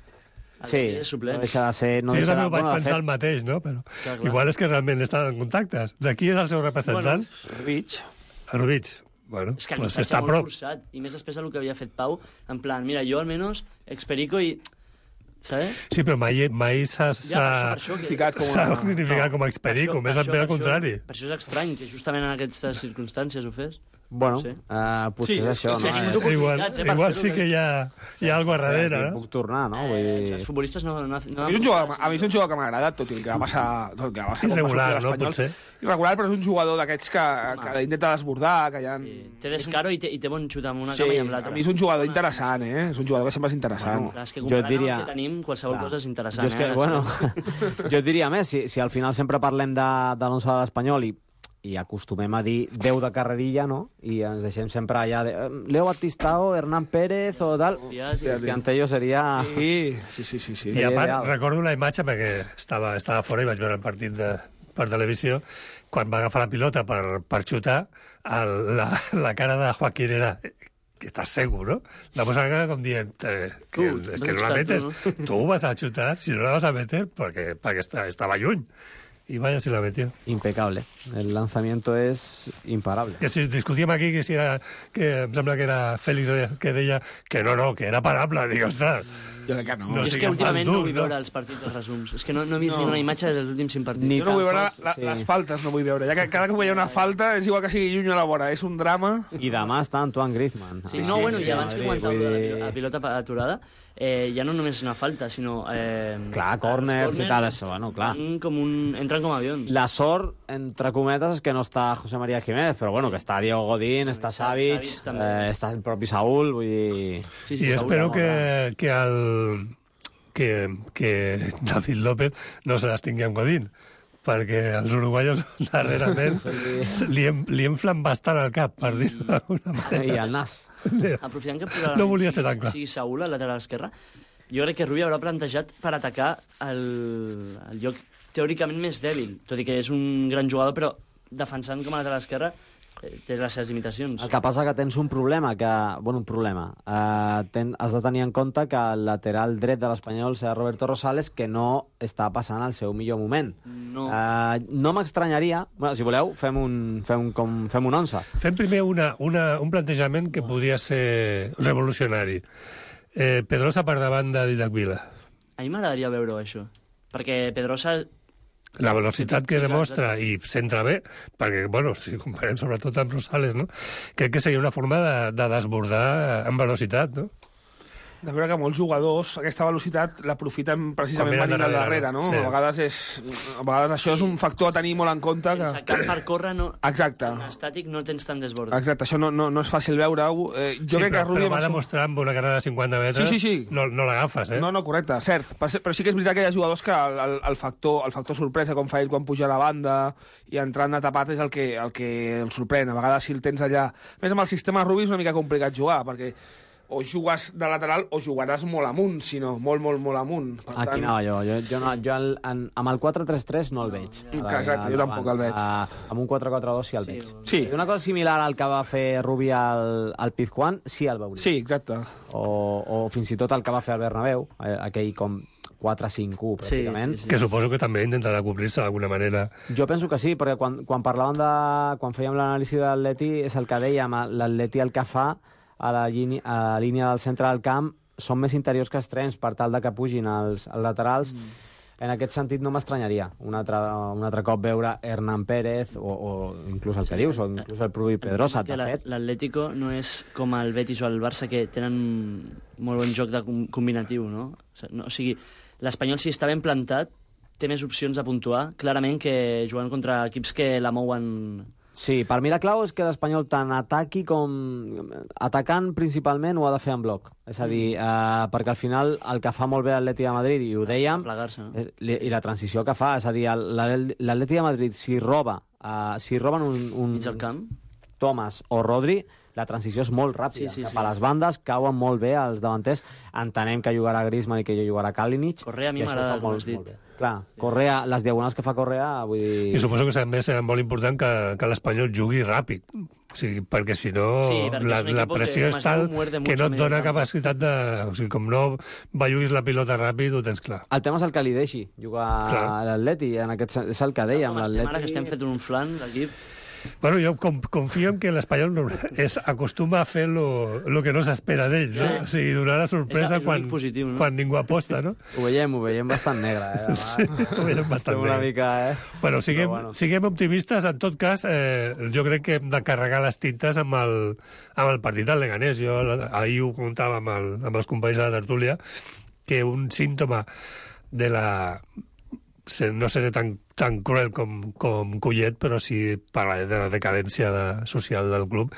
El Sí, Betis és suplent. no deixa de ser... No Sí, jo deixa també de... ho vaig bueno, de pensar fet, el mateix, no? Però Clar, clar. igual és que realment estan en contactes. De qui és el seu representant? Rich. Bueno, Rubich. Bueno, És que el pues missatge està a molt prop. forçat. I més després del que havia fet Pau, en plan, mira, jo almenys experico i... ¿Sabes? Sí, però mai, mai s'ha Ja, per això, per això que... Ficat com s'ha una... significat com a experico, Per més això- ben al per això- contrari. Per això és estrany que justament en aquestes circumstàncies ho fes. Bueno, Sí. uh, potser Sí, és això, sí, no? sí, Eh, sí, sí. Igual, oportunitats, eh, per igual fer-ho sí que hi ha, hi ha alguna cosa darrere, aquí no? puc tornar, no? Vull Eh, dir... els futbolistes no... no, no A mi, és un jugador, a mi és un jugador que m'ha agradat, tot i el que va passar... Tot el que va passar quan va Irregular, sortir no? l'Espanyol. Potser. Irregular, però és un jugador d'aquests que, que intenta desbordar, que hi ha... Té descaro i té, i té bon xut amb una Sí, cama i amb a l'altra. mi és un jugador interessant, eh? És un jugador que sempre és interessant. Clar, és que Jo comparant diria- amb el que tenim, qualsevol Clar. cosa és interessant. Jo és que, eh? bueno, jo et diria més, si, si al final sempre parlem de, de l'onze de l'Espanyol i, i acostumem a dir deu de carrerilla, no? I ens deixem sempre allà de eh, Leo Batistao, Hernán Pérez o tal. Cristiantello seria... Sí, sí, sí, sí. sí. I a part, recordo una imatge, perquè estava, estava fora i vaig veure el partit de, per televisió, quan va agafar la pilota per, per xutar, el, la, la cara de Joaquín era que estàs segur, no? La posa cara com dient eh, que, Tu, es que no vas la a metes, xutar tu, tu vas a xutar, si no la vas a meter, perquè, perquè està, estava lluny. I vaya si la metió. Impecable. El lanzamiento es imparable. Que si discutíem aquí que si era, que em sembla que era Félix que deia que no, no, que era parable. Dic, ostres, Jo crec que no. No No, és que siguem últimament tan no durs, vull no? veure els partits dels resums. És que no, no he vist No. ni una imatge dels últims cinc partits. Ni Jo no vull tan veure sols, la, sí. les faltes, no vull veure. Ja que cada cop hi ha una falta, és igual que sigui lluny o la vora. És un drama. I demà està Antoine Griezmann. Sí, no, bueno, i abans que Madrid, comentàveu de la, vull pilo- dir- la pilota pa- aturada, eh, ja no només és una falta, sinó... Eh, Clar, corners i tal, això, bueno, clar. van Com un, entren com avions. La sort, entre cometes, és que no està José María Jiménez, però bueno, que està Diego Godín, està Savic, Savic també. eh, està el propi Saúl, vull dir... Sí, I espero que, que, el, que, que David López no se les tingui amb Godín, perquè els uruguaios darrerament li hem, li hem bastant al cap, per dir-ho d'alguna manera. I el nas. Aprofitant que probablement No volia ser tan clar. sigui Saúl al lateral esquerre, jo crec que Rubi haurà plantejat per atacar el, el lloc teòricament més dèbil, tot i que és un gran jugador, però defensant com a lateral esquerre eh, té les seves limitacions. El que passa que tens un problema, que, bueno, un problema. Uh, ten, has de tenir en compte que el lateral dret de l'Espanyol serà Roberto Rosales, que no està passant el seu millor moment. No. Uh, no m'estranyaria... Bueno, si voleu, fem un, fem un, com, fem un onze. Fem primer una, una, un plantejament que podria ser revolucionari. Eh, Pedrosa per davant de Didac Vila. A mi m'agradaria veure això, perquè Pedrosa... La velocitat Sí, que sí, clar, demostra i s'entra bé, perquè, bueno, si comparem sobretot amb Rosales, no? Crec que seria una forma de, de desbordar amb velocitat, no? De veure que molts jugadors aquesta velocitat l'aprofiten precisament Quan venint venen al darrere, darrere, no? sí. A vegades és... A vegades això és un factor a tenir molt en compte. Que... Sense camp per córrer, no... Exacte. En estàtic no tens tant desbord. Exacte, això no, no, no és fàcil veure-ho. Eh, jo sí, crec però, que Rubio... però va amb això- demostrar amb una carrera de cinquanta metres Sí, sí, sí. no, no l'agafes, eh? No, no, correcte, cert. Però sí- però sí que és veritat que hi ha jugadors que el, el, el, factor, el factor sorpresa, com fa ell quan puja a la banda i entrant de tapat, és el que, el que el sorprèn. A vegades si el tens allà... A més, amb el sistema Rubi és una mica complicat jugar, perquè o jugues de lateral o jugaràs molt amunt, si no, molt, molt, molt amunt. Per Aquí tant, anava jo. Jo, jo, no, jo el, en, amb el quatre tres tres no el veig. Clar, exacte, jo tampoc el veig. Uh, amb un quatre quatre dos sí el veig. Sí. I una cosa similar al que va fer Rubi al, al Pizjuán, sí el veuria. Sí, exacte. O, o fins i tot el que va fer al Bernabéu, eh, aquell com quatre cinc u, pràcticament. Sí, sí, Que suposo que també intentarà cobrir-se d'alguna manera. Jo penso que sí, perquè quan, quan parlàvem de... Quan fèiem l'anàlisi de l'Atleti, és el que dèiem, l'Atleti el que fa a la, línia, a la línia del centre del camp són més interiors que extrems per tal de que pugin els, els laterals. Mm. En aquest sentit no m'estranyaria un altre, un altre cop veure Hernán Pérez o, o inclús el que dius, o inclús el Provi Pedrosa, de fet. L'Atlético no és com el Betis o el Barça, que tenen molt bon joc de com combinatiu, no? O sigui, l'Espanyol, si està ben plantat, té més opcions de puntuar, clarament, que jugant contra equips que la mouen... Sí, per mi la clau és que l'Espanyol tant ataqui com... Atacant principalment ho ha de fer en bloc. És a dir, eh, perquè al final el que fa molt bé l'Atleti de Madrid, i ho dèiem, no? és, i la transició que fa, és a dir, l'Atleti de Madrid, si roba, eh, si roben un... un Mig al camp. Thomas o Rodri, la transició és molt ràpida. Sí, sí, Cap sí. a les bandes cauen molt bé els davanters. Entenem que jugarà Griezmann i que jugarà Kalinic. Correa a mi i això m'agrada, fa com molt- has dit. molt bé. Clar, Correa, les diagonals que fa Correa, vull dir... I suposo que també serà molt important que, que l'Espanyol jugui ràpid. O sigui, perquè si no, Sí, perquè la, és un la equipo pressió que és tal demasiado muerde que mucho no a et medio dona campo. capacitat de... O sigui, com no belluguis la pilota ràpid, ho tens clar. El tema és el que li deixi jugar Clar. a l'Atleti, en aquest sen- és el que dèiem, Com estem ara, que l'Atleti... estem fet un flan d'equip... Bueno, jo com, confio en que l'Espanyol no, és, acostuma a fer lo, lo que no s'espera d'ell, no? Sí. O sigui, donar la sorpresa És- és quan, positiu, no? quan ningú aposta, no? Ho veiem, ho veiem bastant negre, eh? Sí, ho veiem bastant Estem una negre. mica, eh? Bueno, siguem, Però bueno. siguem optimistes. En tot cas, eh, jo crec que hem de carregar les tintes amb el, amb el partit del Leganés. Jo ahir ho comentava amb, el, amb els companys de la tertúlia, que un símptoma de la... no seré tan, tan cruel com, com Collet, però sí parlaré de la decadència de, social del club,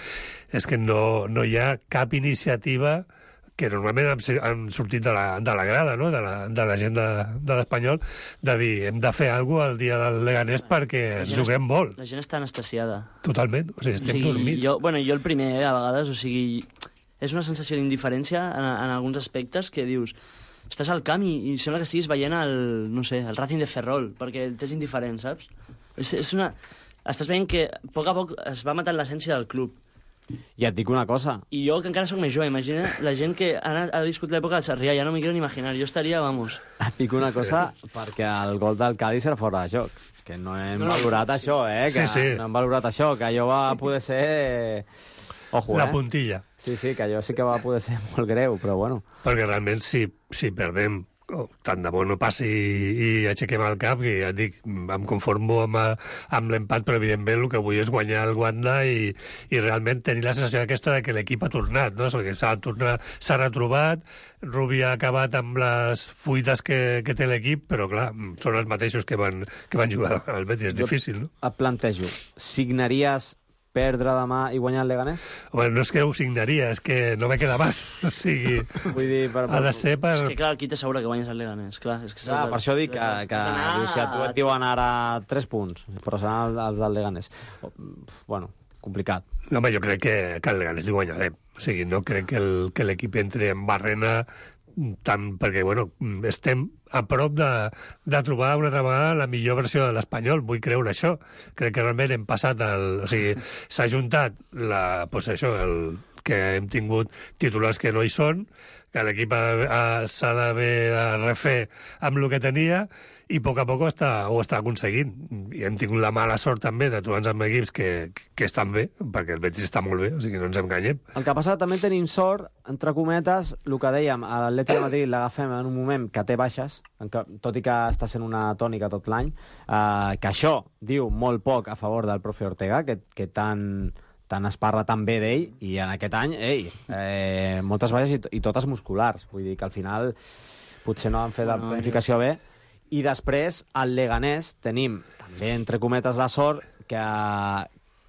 és que no, no hi ha cap iniciativa que normalment han, han sortit de la, de la grada, no? de, la, de la gent de, de l'Espanyol, de dir, hem de fer alguna cosa el dia del Leganés perquè ens juguem molt. La gent està anestesiada. Totalment, o sigui, estem o sigui, dormits. Jo, bueno, jo el primer, eh, a vegades, o sigui, és una sensació d'indiferència en, en alguns aspectes que dius, estàs al camp i, i sembla que estiguis veient el, no sé, el Racing de Ferrol, perquè t'és indiferent, saps? És, és una... Estàs veient que a poc a poc es va matant l'essència del club. I et dic una cosa. I jo, que encara sóc més jove, imagina la gent que ha, anat, ha viscut l'època del Sarrià, ja no m'hi quiero ni imaginar, jo estaria, vamos... Et dic una cosa, perquè el gol del Cádiz era fora de joc. Que no hem No, no. valorat això, eh? Que Sí, sí. no hem valorat això, que allò va poder ser... Ojo, La eh? puntilla. Sí, sí, que allò sí que va poder ser molt greu, però bueno. Perquè realment, si, si perdem, oh, tant de bo no passi i, i aixequem el cap, que ja et dic, em conformo amb, amb l'empat, però evidentment el que vull és guanyar el Wanda i, i realment tenir la sensació aquesta de que l'equip ha tornat, no? Perquè s'ha tornat, s'ha retrobat, Rubi ha acabat amb les fuites que, que té l'equip, però clar, són els mateixos que van, que van jugar al Betis, és Jo difícil, no? Et plantejo, signaries perdre demà i guanyar el Leganés? Home, no és que ho signaria, és que no me queda més. O sigui, Vull dir, per... ha de ser per... És que, clar, qui t'assegura que guanyes el Leganés? Clar, és que Clar, per això dic que, que diu, si a tu et diuen ara tres punts, però seran els, els del Leganés. Oh, bueno, complicat. No, home, jo crec que, que el Leganés li guanyarem. O sigui, no crec que el- que l'equip entri en barrena tant, perquè, bueno, estem a prop de, de trobar una altra vegada la millor versió de l'Espanyol. Vull creure això. Crec que realment hem passat el... O sigui, s'ha juntat la, pues això, el, que hem tingut titulars que no hi són, que l'equip ha- ha- s'ha d'haver de refer amb el que tenia, i a poc a poc està, ho està aconseguint. I hem tingut la mala sort també de trobar-nos amb equips que, que estan bé, perquè el Betis està molt bé, o sigui, no ens enganyem. El que passa també tenim sort, entre cometes, el que dèiem, a l'Atlètic de Madrid l'agafem en un moment que té baixes, en què, tot i que està sent una tònica tot l'any, eh, que això diu molt poc a favor del profe Ortega, que, que tant, tant es parla tan bé d'ell, i en aquest any, ei, eh, moltes baixes i, i totes musculars. Vull dir que al final potser no han fet la Bueno, planificació bé. I després, al Leganés, tenim també, entre cometes, la sort que,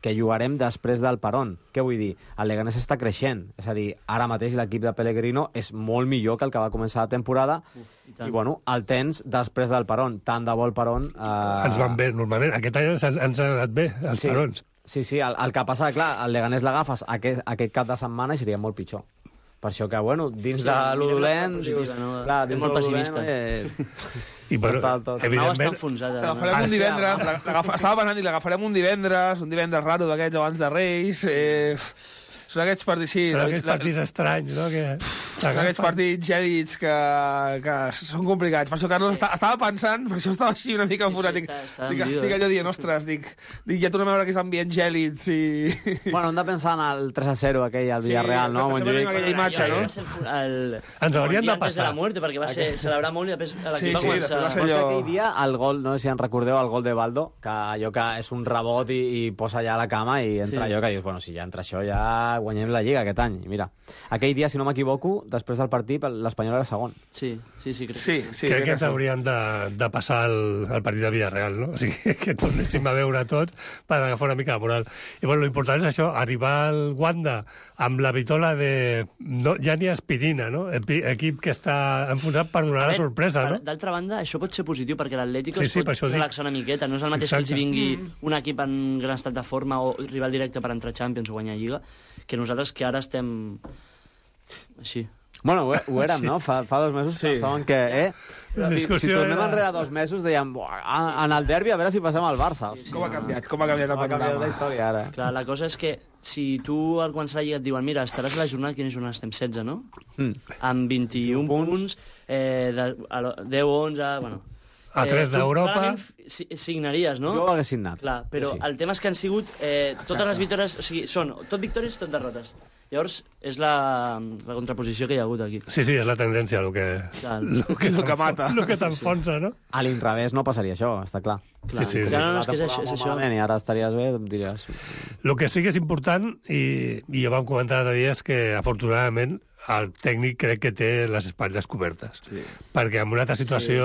que jugarem després del Peron. Què vull dir? El Leganés està creixent. És a dir, ara mateix l'equip de Pellegrino és molt millor que el que va començar la temporada. i I, bueno, el tens després del Peron. Tant de bo el Peron... Eh... Ens van bé, normalment. Aquest any ens, han- ens han anat bé, els Sí. Perons. Sí, sí, el, el que passa, clar, el Leganés l'agafes aquest, aquest cap de setmana i seria molt pitjor. Per això que, bueno, dins Sí, de mirem lo la dolent... part positiva, dius, no? clar, Som dins molt de lo dolent, pessimista. eh, I, bueno, està tot. Arnau està evidentment, enfonsat. ara, L'agafarem no? un sí, divendres, home. la- l'agafa- estava pensant dir, l'agafarem un divendres, un divendres raro d'aquests abans de Reis, eh, són aquests partits, sí, són la- aquests la- partits estranys, no?, que... són aquests partits gèlids que, que són complicats. Per això Carlos està, estava pensant, per això estava així una mica Sí, sí, enfonsat. Dic, està- està dic, hundido, estic eh? allò dient, ostres, dic, dic, ja tornem a veure aquests ambients gèlids i... Bueno, hem de pensar en el tres a zero aquell al Sí, Villarreal, no? sempre tenim aquella imatge, Allò no? va ser el, el, Ens haurien el dia de antes passar. de la muerte, perquè va ser celebrar molt i després l'equip Sí, va sí, començar... després va ser Però és que allò- aquell dia, el gol, no sé si en recordeu, el gol de Baldo, que allò que és un rebot i, i posa allà a la cama i entra Sí. allò que dius, bueno, si ja entra això ja guanyem la Lliga aquest any. I mira, aquell dia, si no m'equivoco, després del partit, l'Espanyol era segon. Sí, sí, sí, crec. Sí, sí, Crec que ens sí. haurien de, de passar el, el partit de Villarreal, no? O sigui, que tornéssim a veure tots per agafar una mica de moral. I, bueno, l'important és això, arribar al Wanda amb la vitola de... No, ja ni aspirina, no? Epi- Equip que està enfonsat per donar A la veure, sorpresa, per- no? D'altra banda, això pot ser positiu, perquè l'Atlético Sí, es sí, pot per això dic. relaxar una miqueta. No és el mateix Exacte. que els hi vingui Mm. un equip en gran estat de forma o rival directe per entrar a Champions o guanyar Lliga, que nosaltres que ara estem així. Bueno, ho, ho érem, no? Fa, fa dos mesos Sí. pensaven que... Eh? La Si, si discussió tornem era- enrere dos mesos, dèiem, "Buah, a- en el derbi a veure si passem al Barça. Sí, Com ha canviat, com ha canviat el Com ha canviat la panorama. història, ara. Clar, la cosa és que si tu al començar la Lliga et diuen mira, estaràs a la jornada, quina jornada estem? setze, no? Mm. Amb vint-i-un punts, eh, de, a lo- deu, onze... Bueno. A tres d'Europa... Si, signaries, no? Jo ho hagués signat. Clar, però sí. el tema és que han sigut eh, totes les victòries... O sigui, són tot victòries, tot derrotes. Llavors, és la, la contraposició que hi ha hagut aquí. Sí, sí, és la tendència, el que, el que, que mata. El que t'enfonsa, no? A l'inrevés no passaria això, està clar. clar sí, sí, sí. Ja no, no, és que és, això, és això. I ara estaries bé, em diries... El que sí que és important, i, i ja vam comentar l'altre dia, és que, afortunadament, el tècnic crec que té les espatlles cobertes. Sí. Perquè en una altra situació,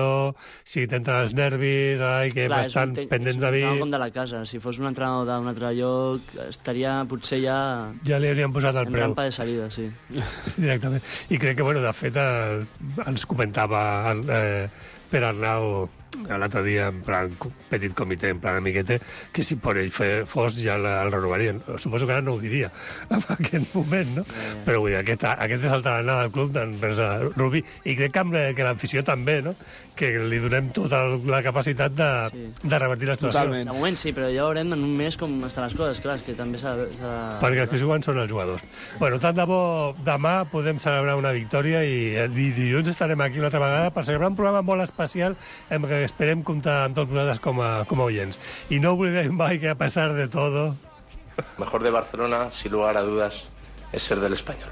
sí. si t'entren els nervis, ai, que Clar, estan ten... pendents de mi... És un com de la casa. Si fos un entrenador d'un altre lloc, estaria potser ja... Ja li hauríem posat el en preu. En rampa de salida, sí. Directament. I crec que, bueno, de fet, el, ens comentava el, eh, Per Arnau l'altre dia, en plan petit comitè, en plan amiguete, que si per ell fos ja el renovarien. Suposo que ara no ho diria en aquest moment, no? Eh. Però vull dir, aquest, aquest és el tarannà del club d'envers a Rubi, i crec que, amb, que l'afició també, no? Que li donem tota la capacitat de, sí. de revertir la situació. Totalment. De moment sí, però ja veurem en un mes com estan les coses, clar, és que també s'ha de... Perquè els que juguen són els jugadors. Bueno, tant de bo demà podem celebrar una victòria i, i dilluns estarem aquí una altra vegada per celebrar un programa molt especial en què esperem comptar amb tots vosaltres com a, com a oients. I no oblidem mai que a pesar de todo... Mejor de Barcelona, sin lugar a dudas, es ser del Español.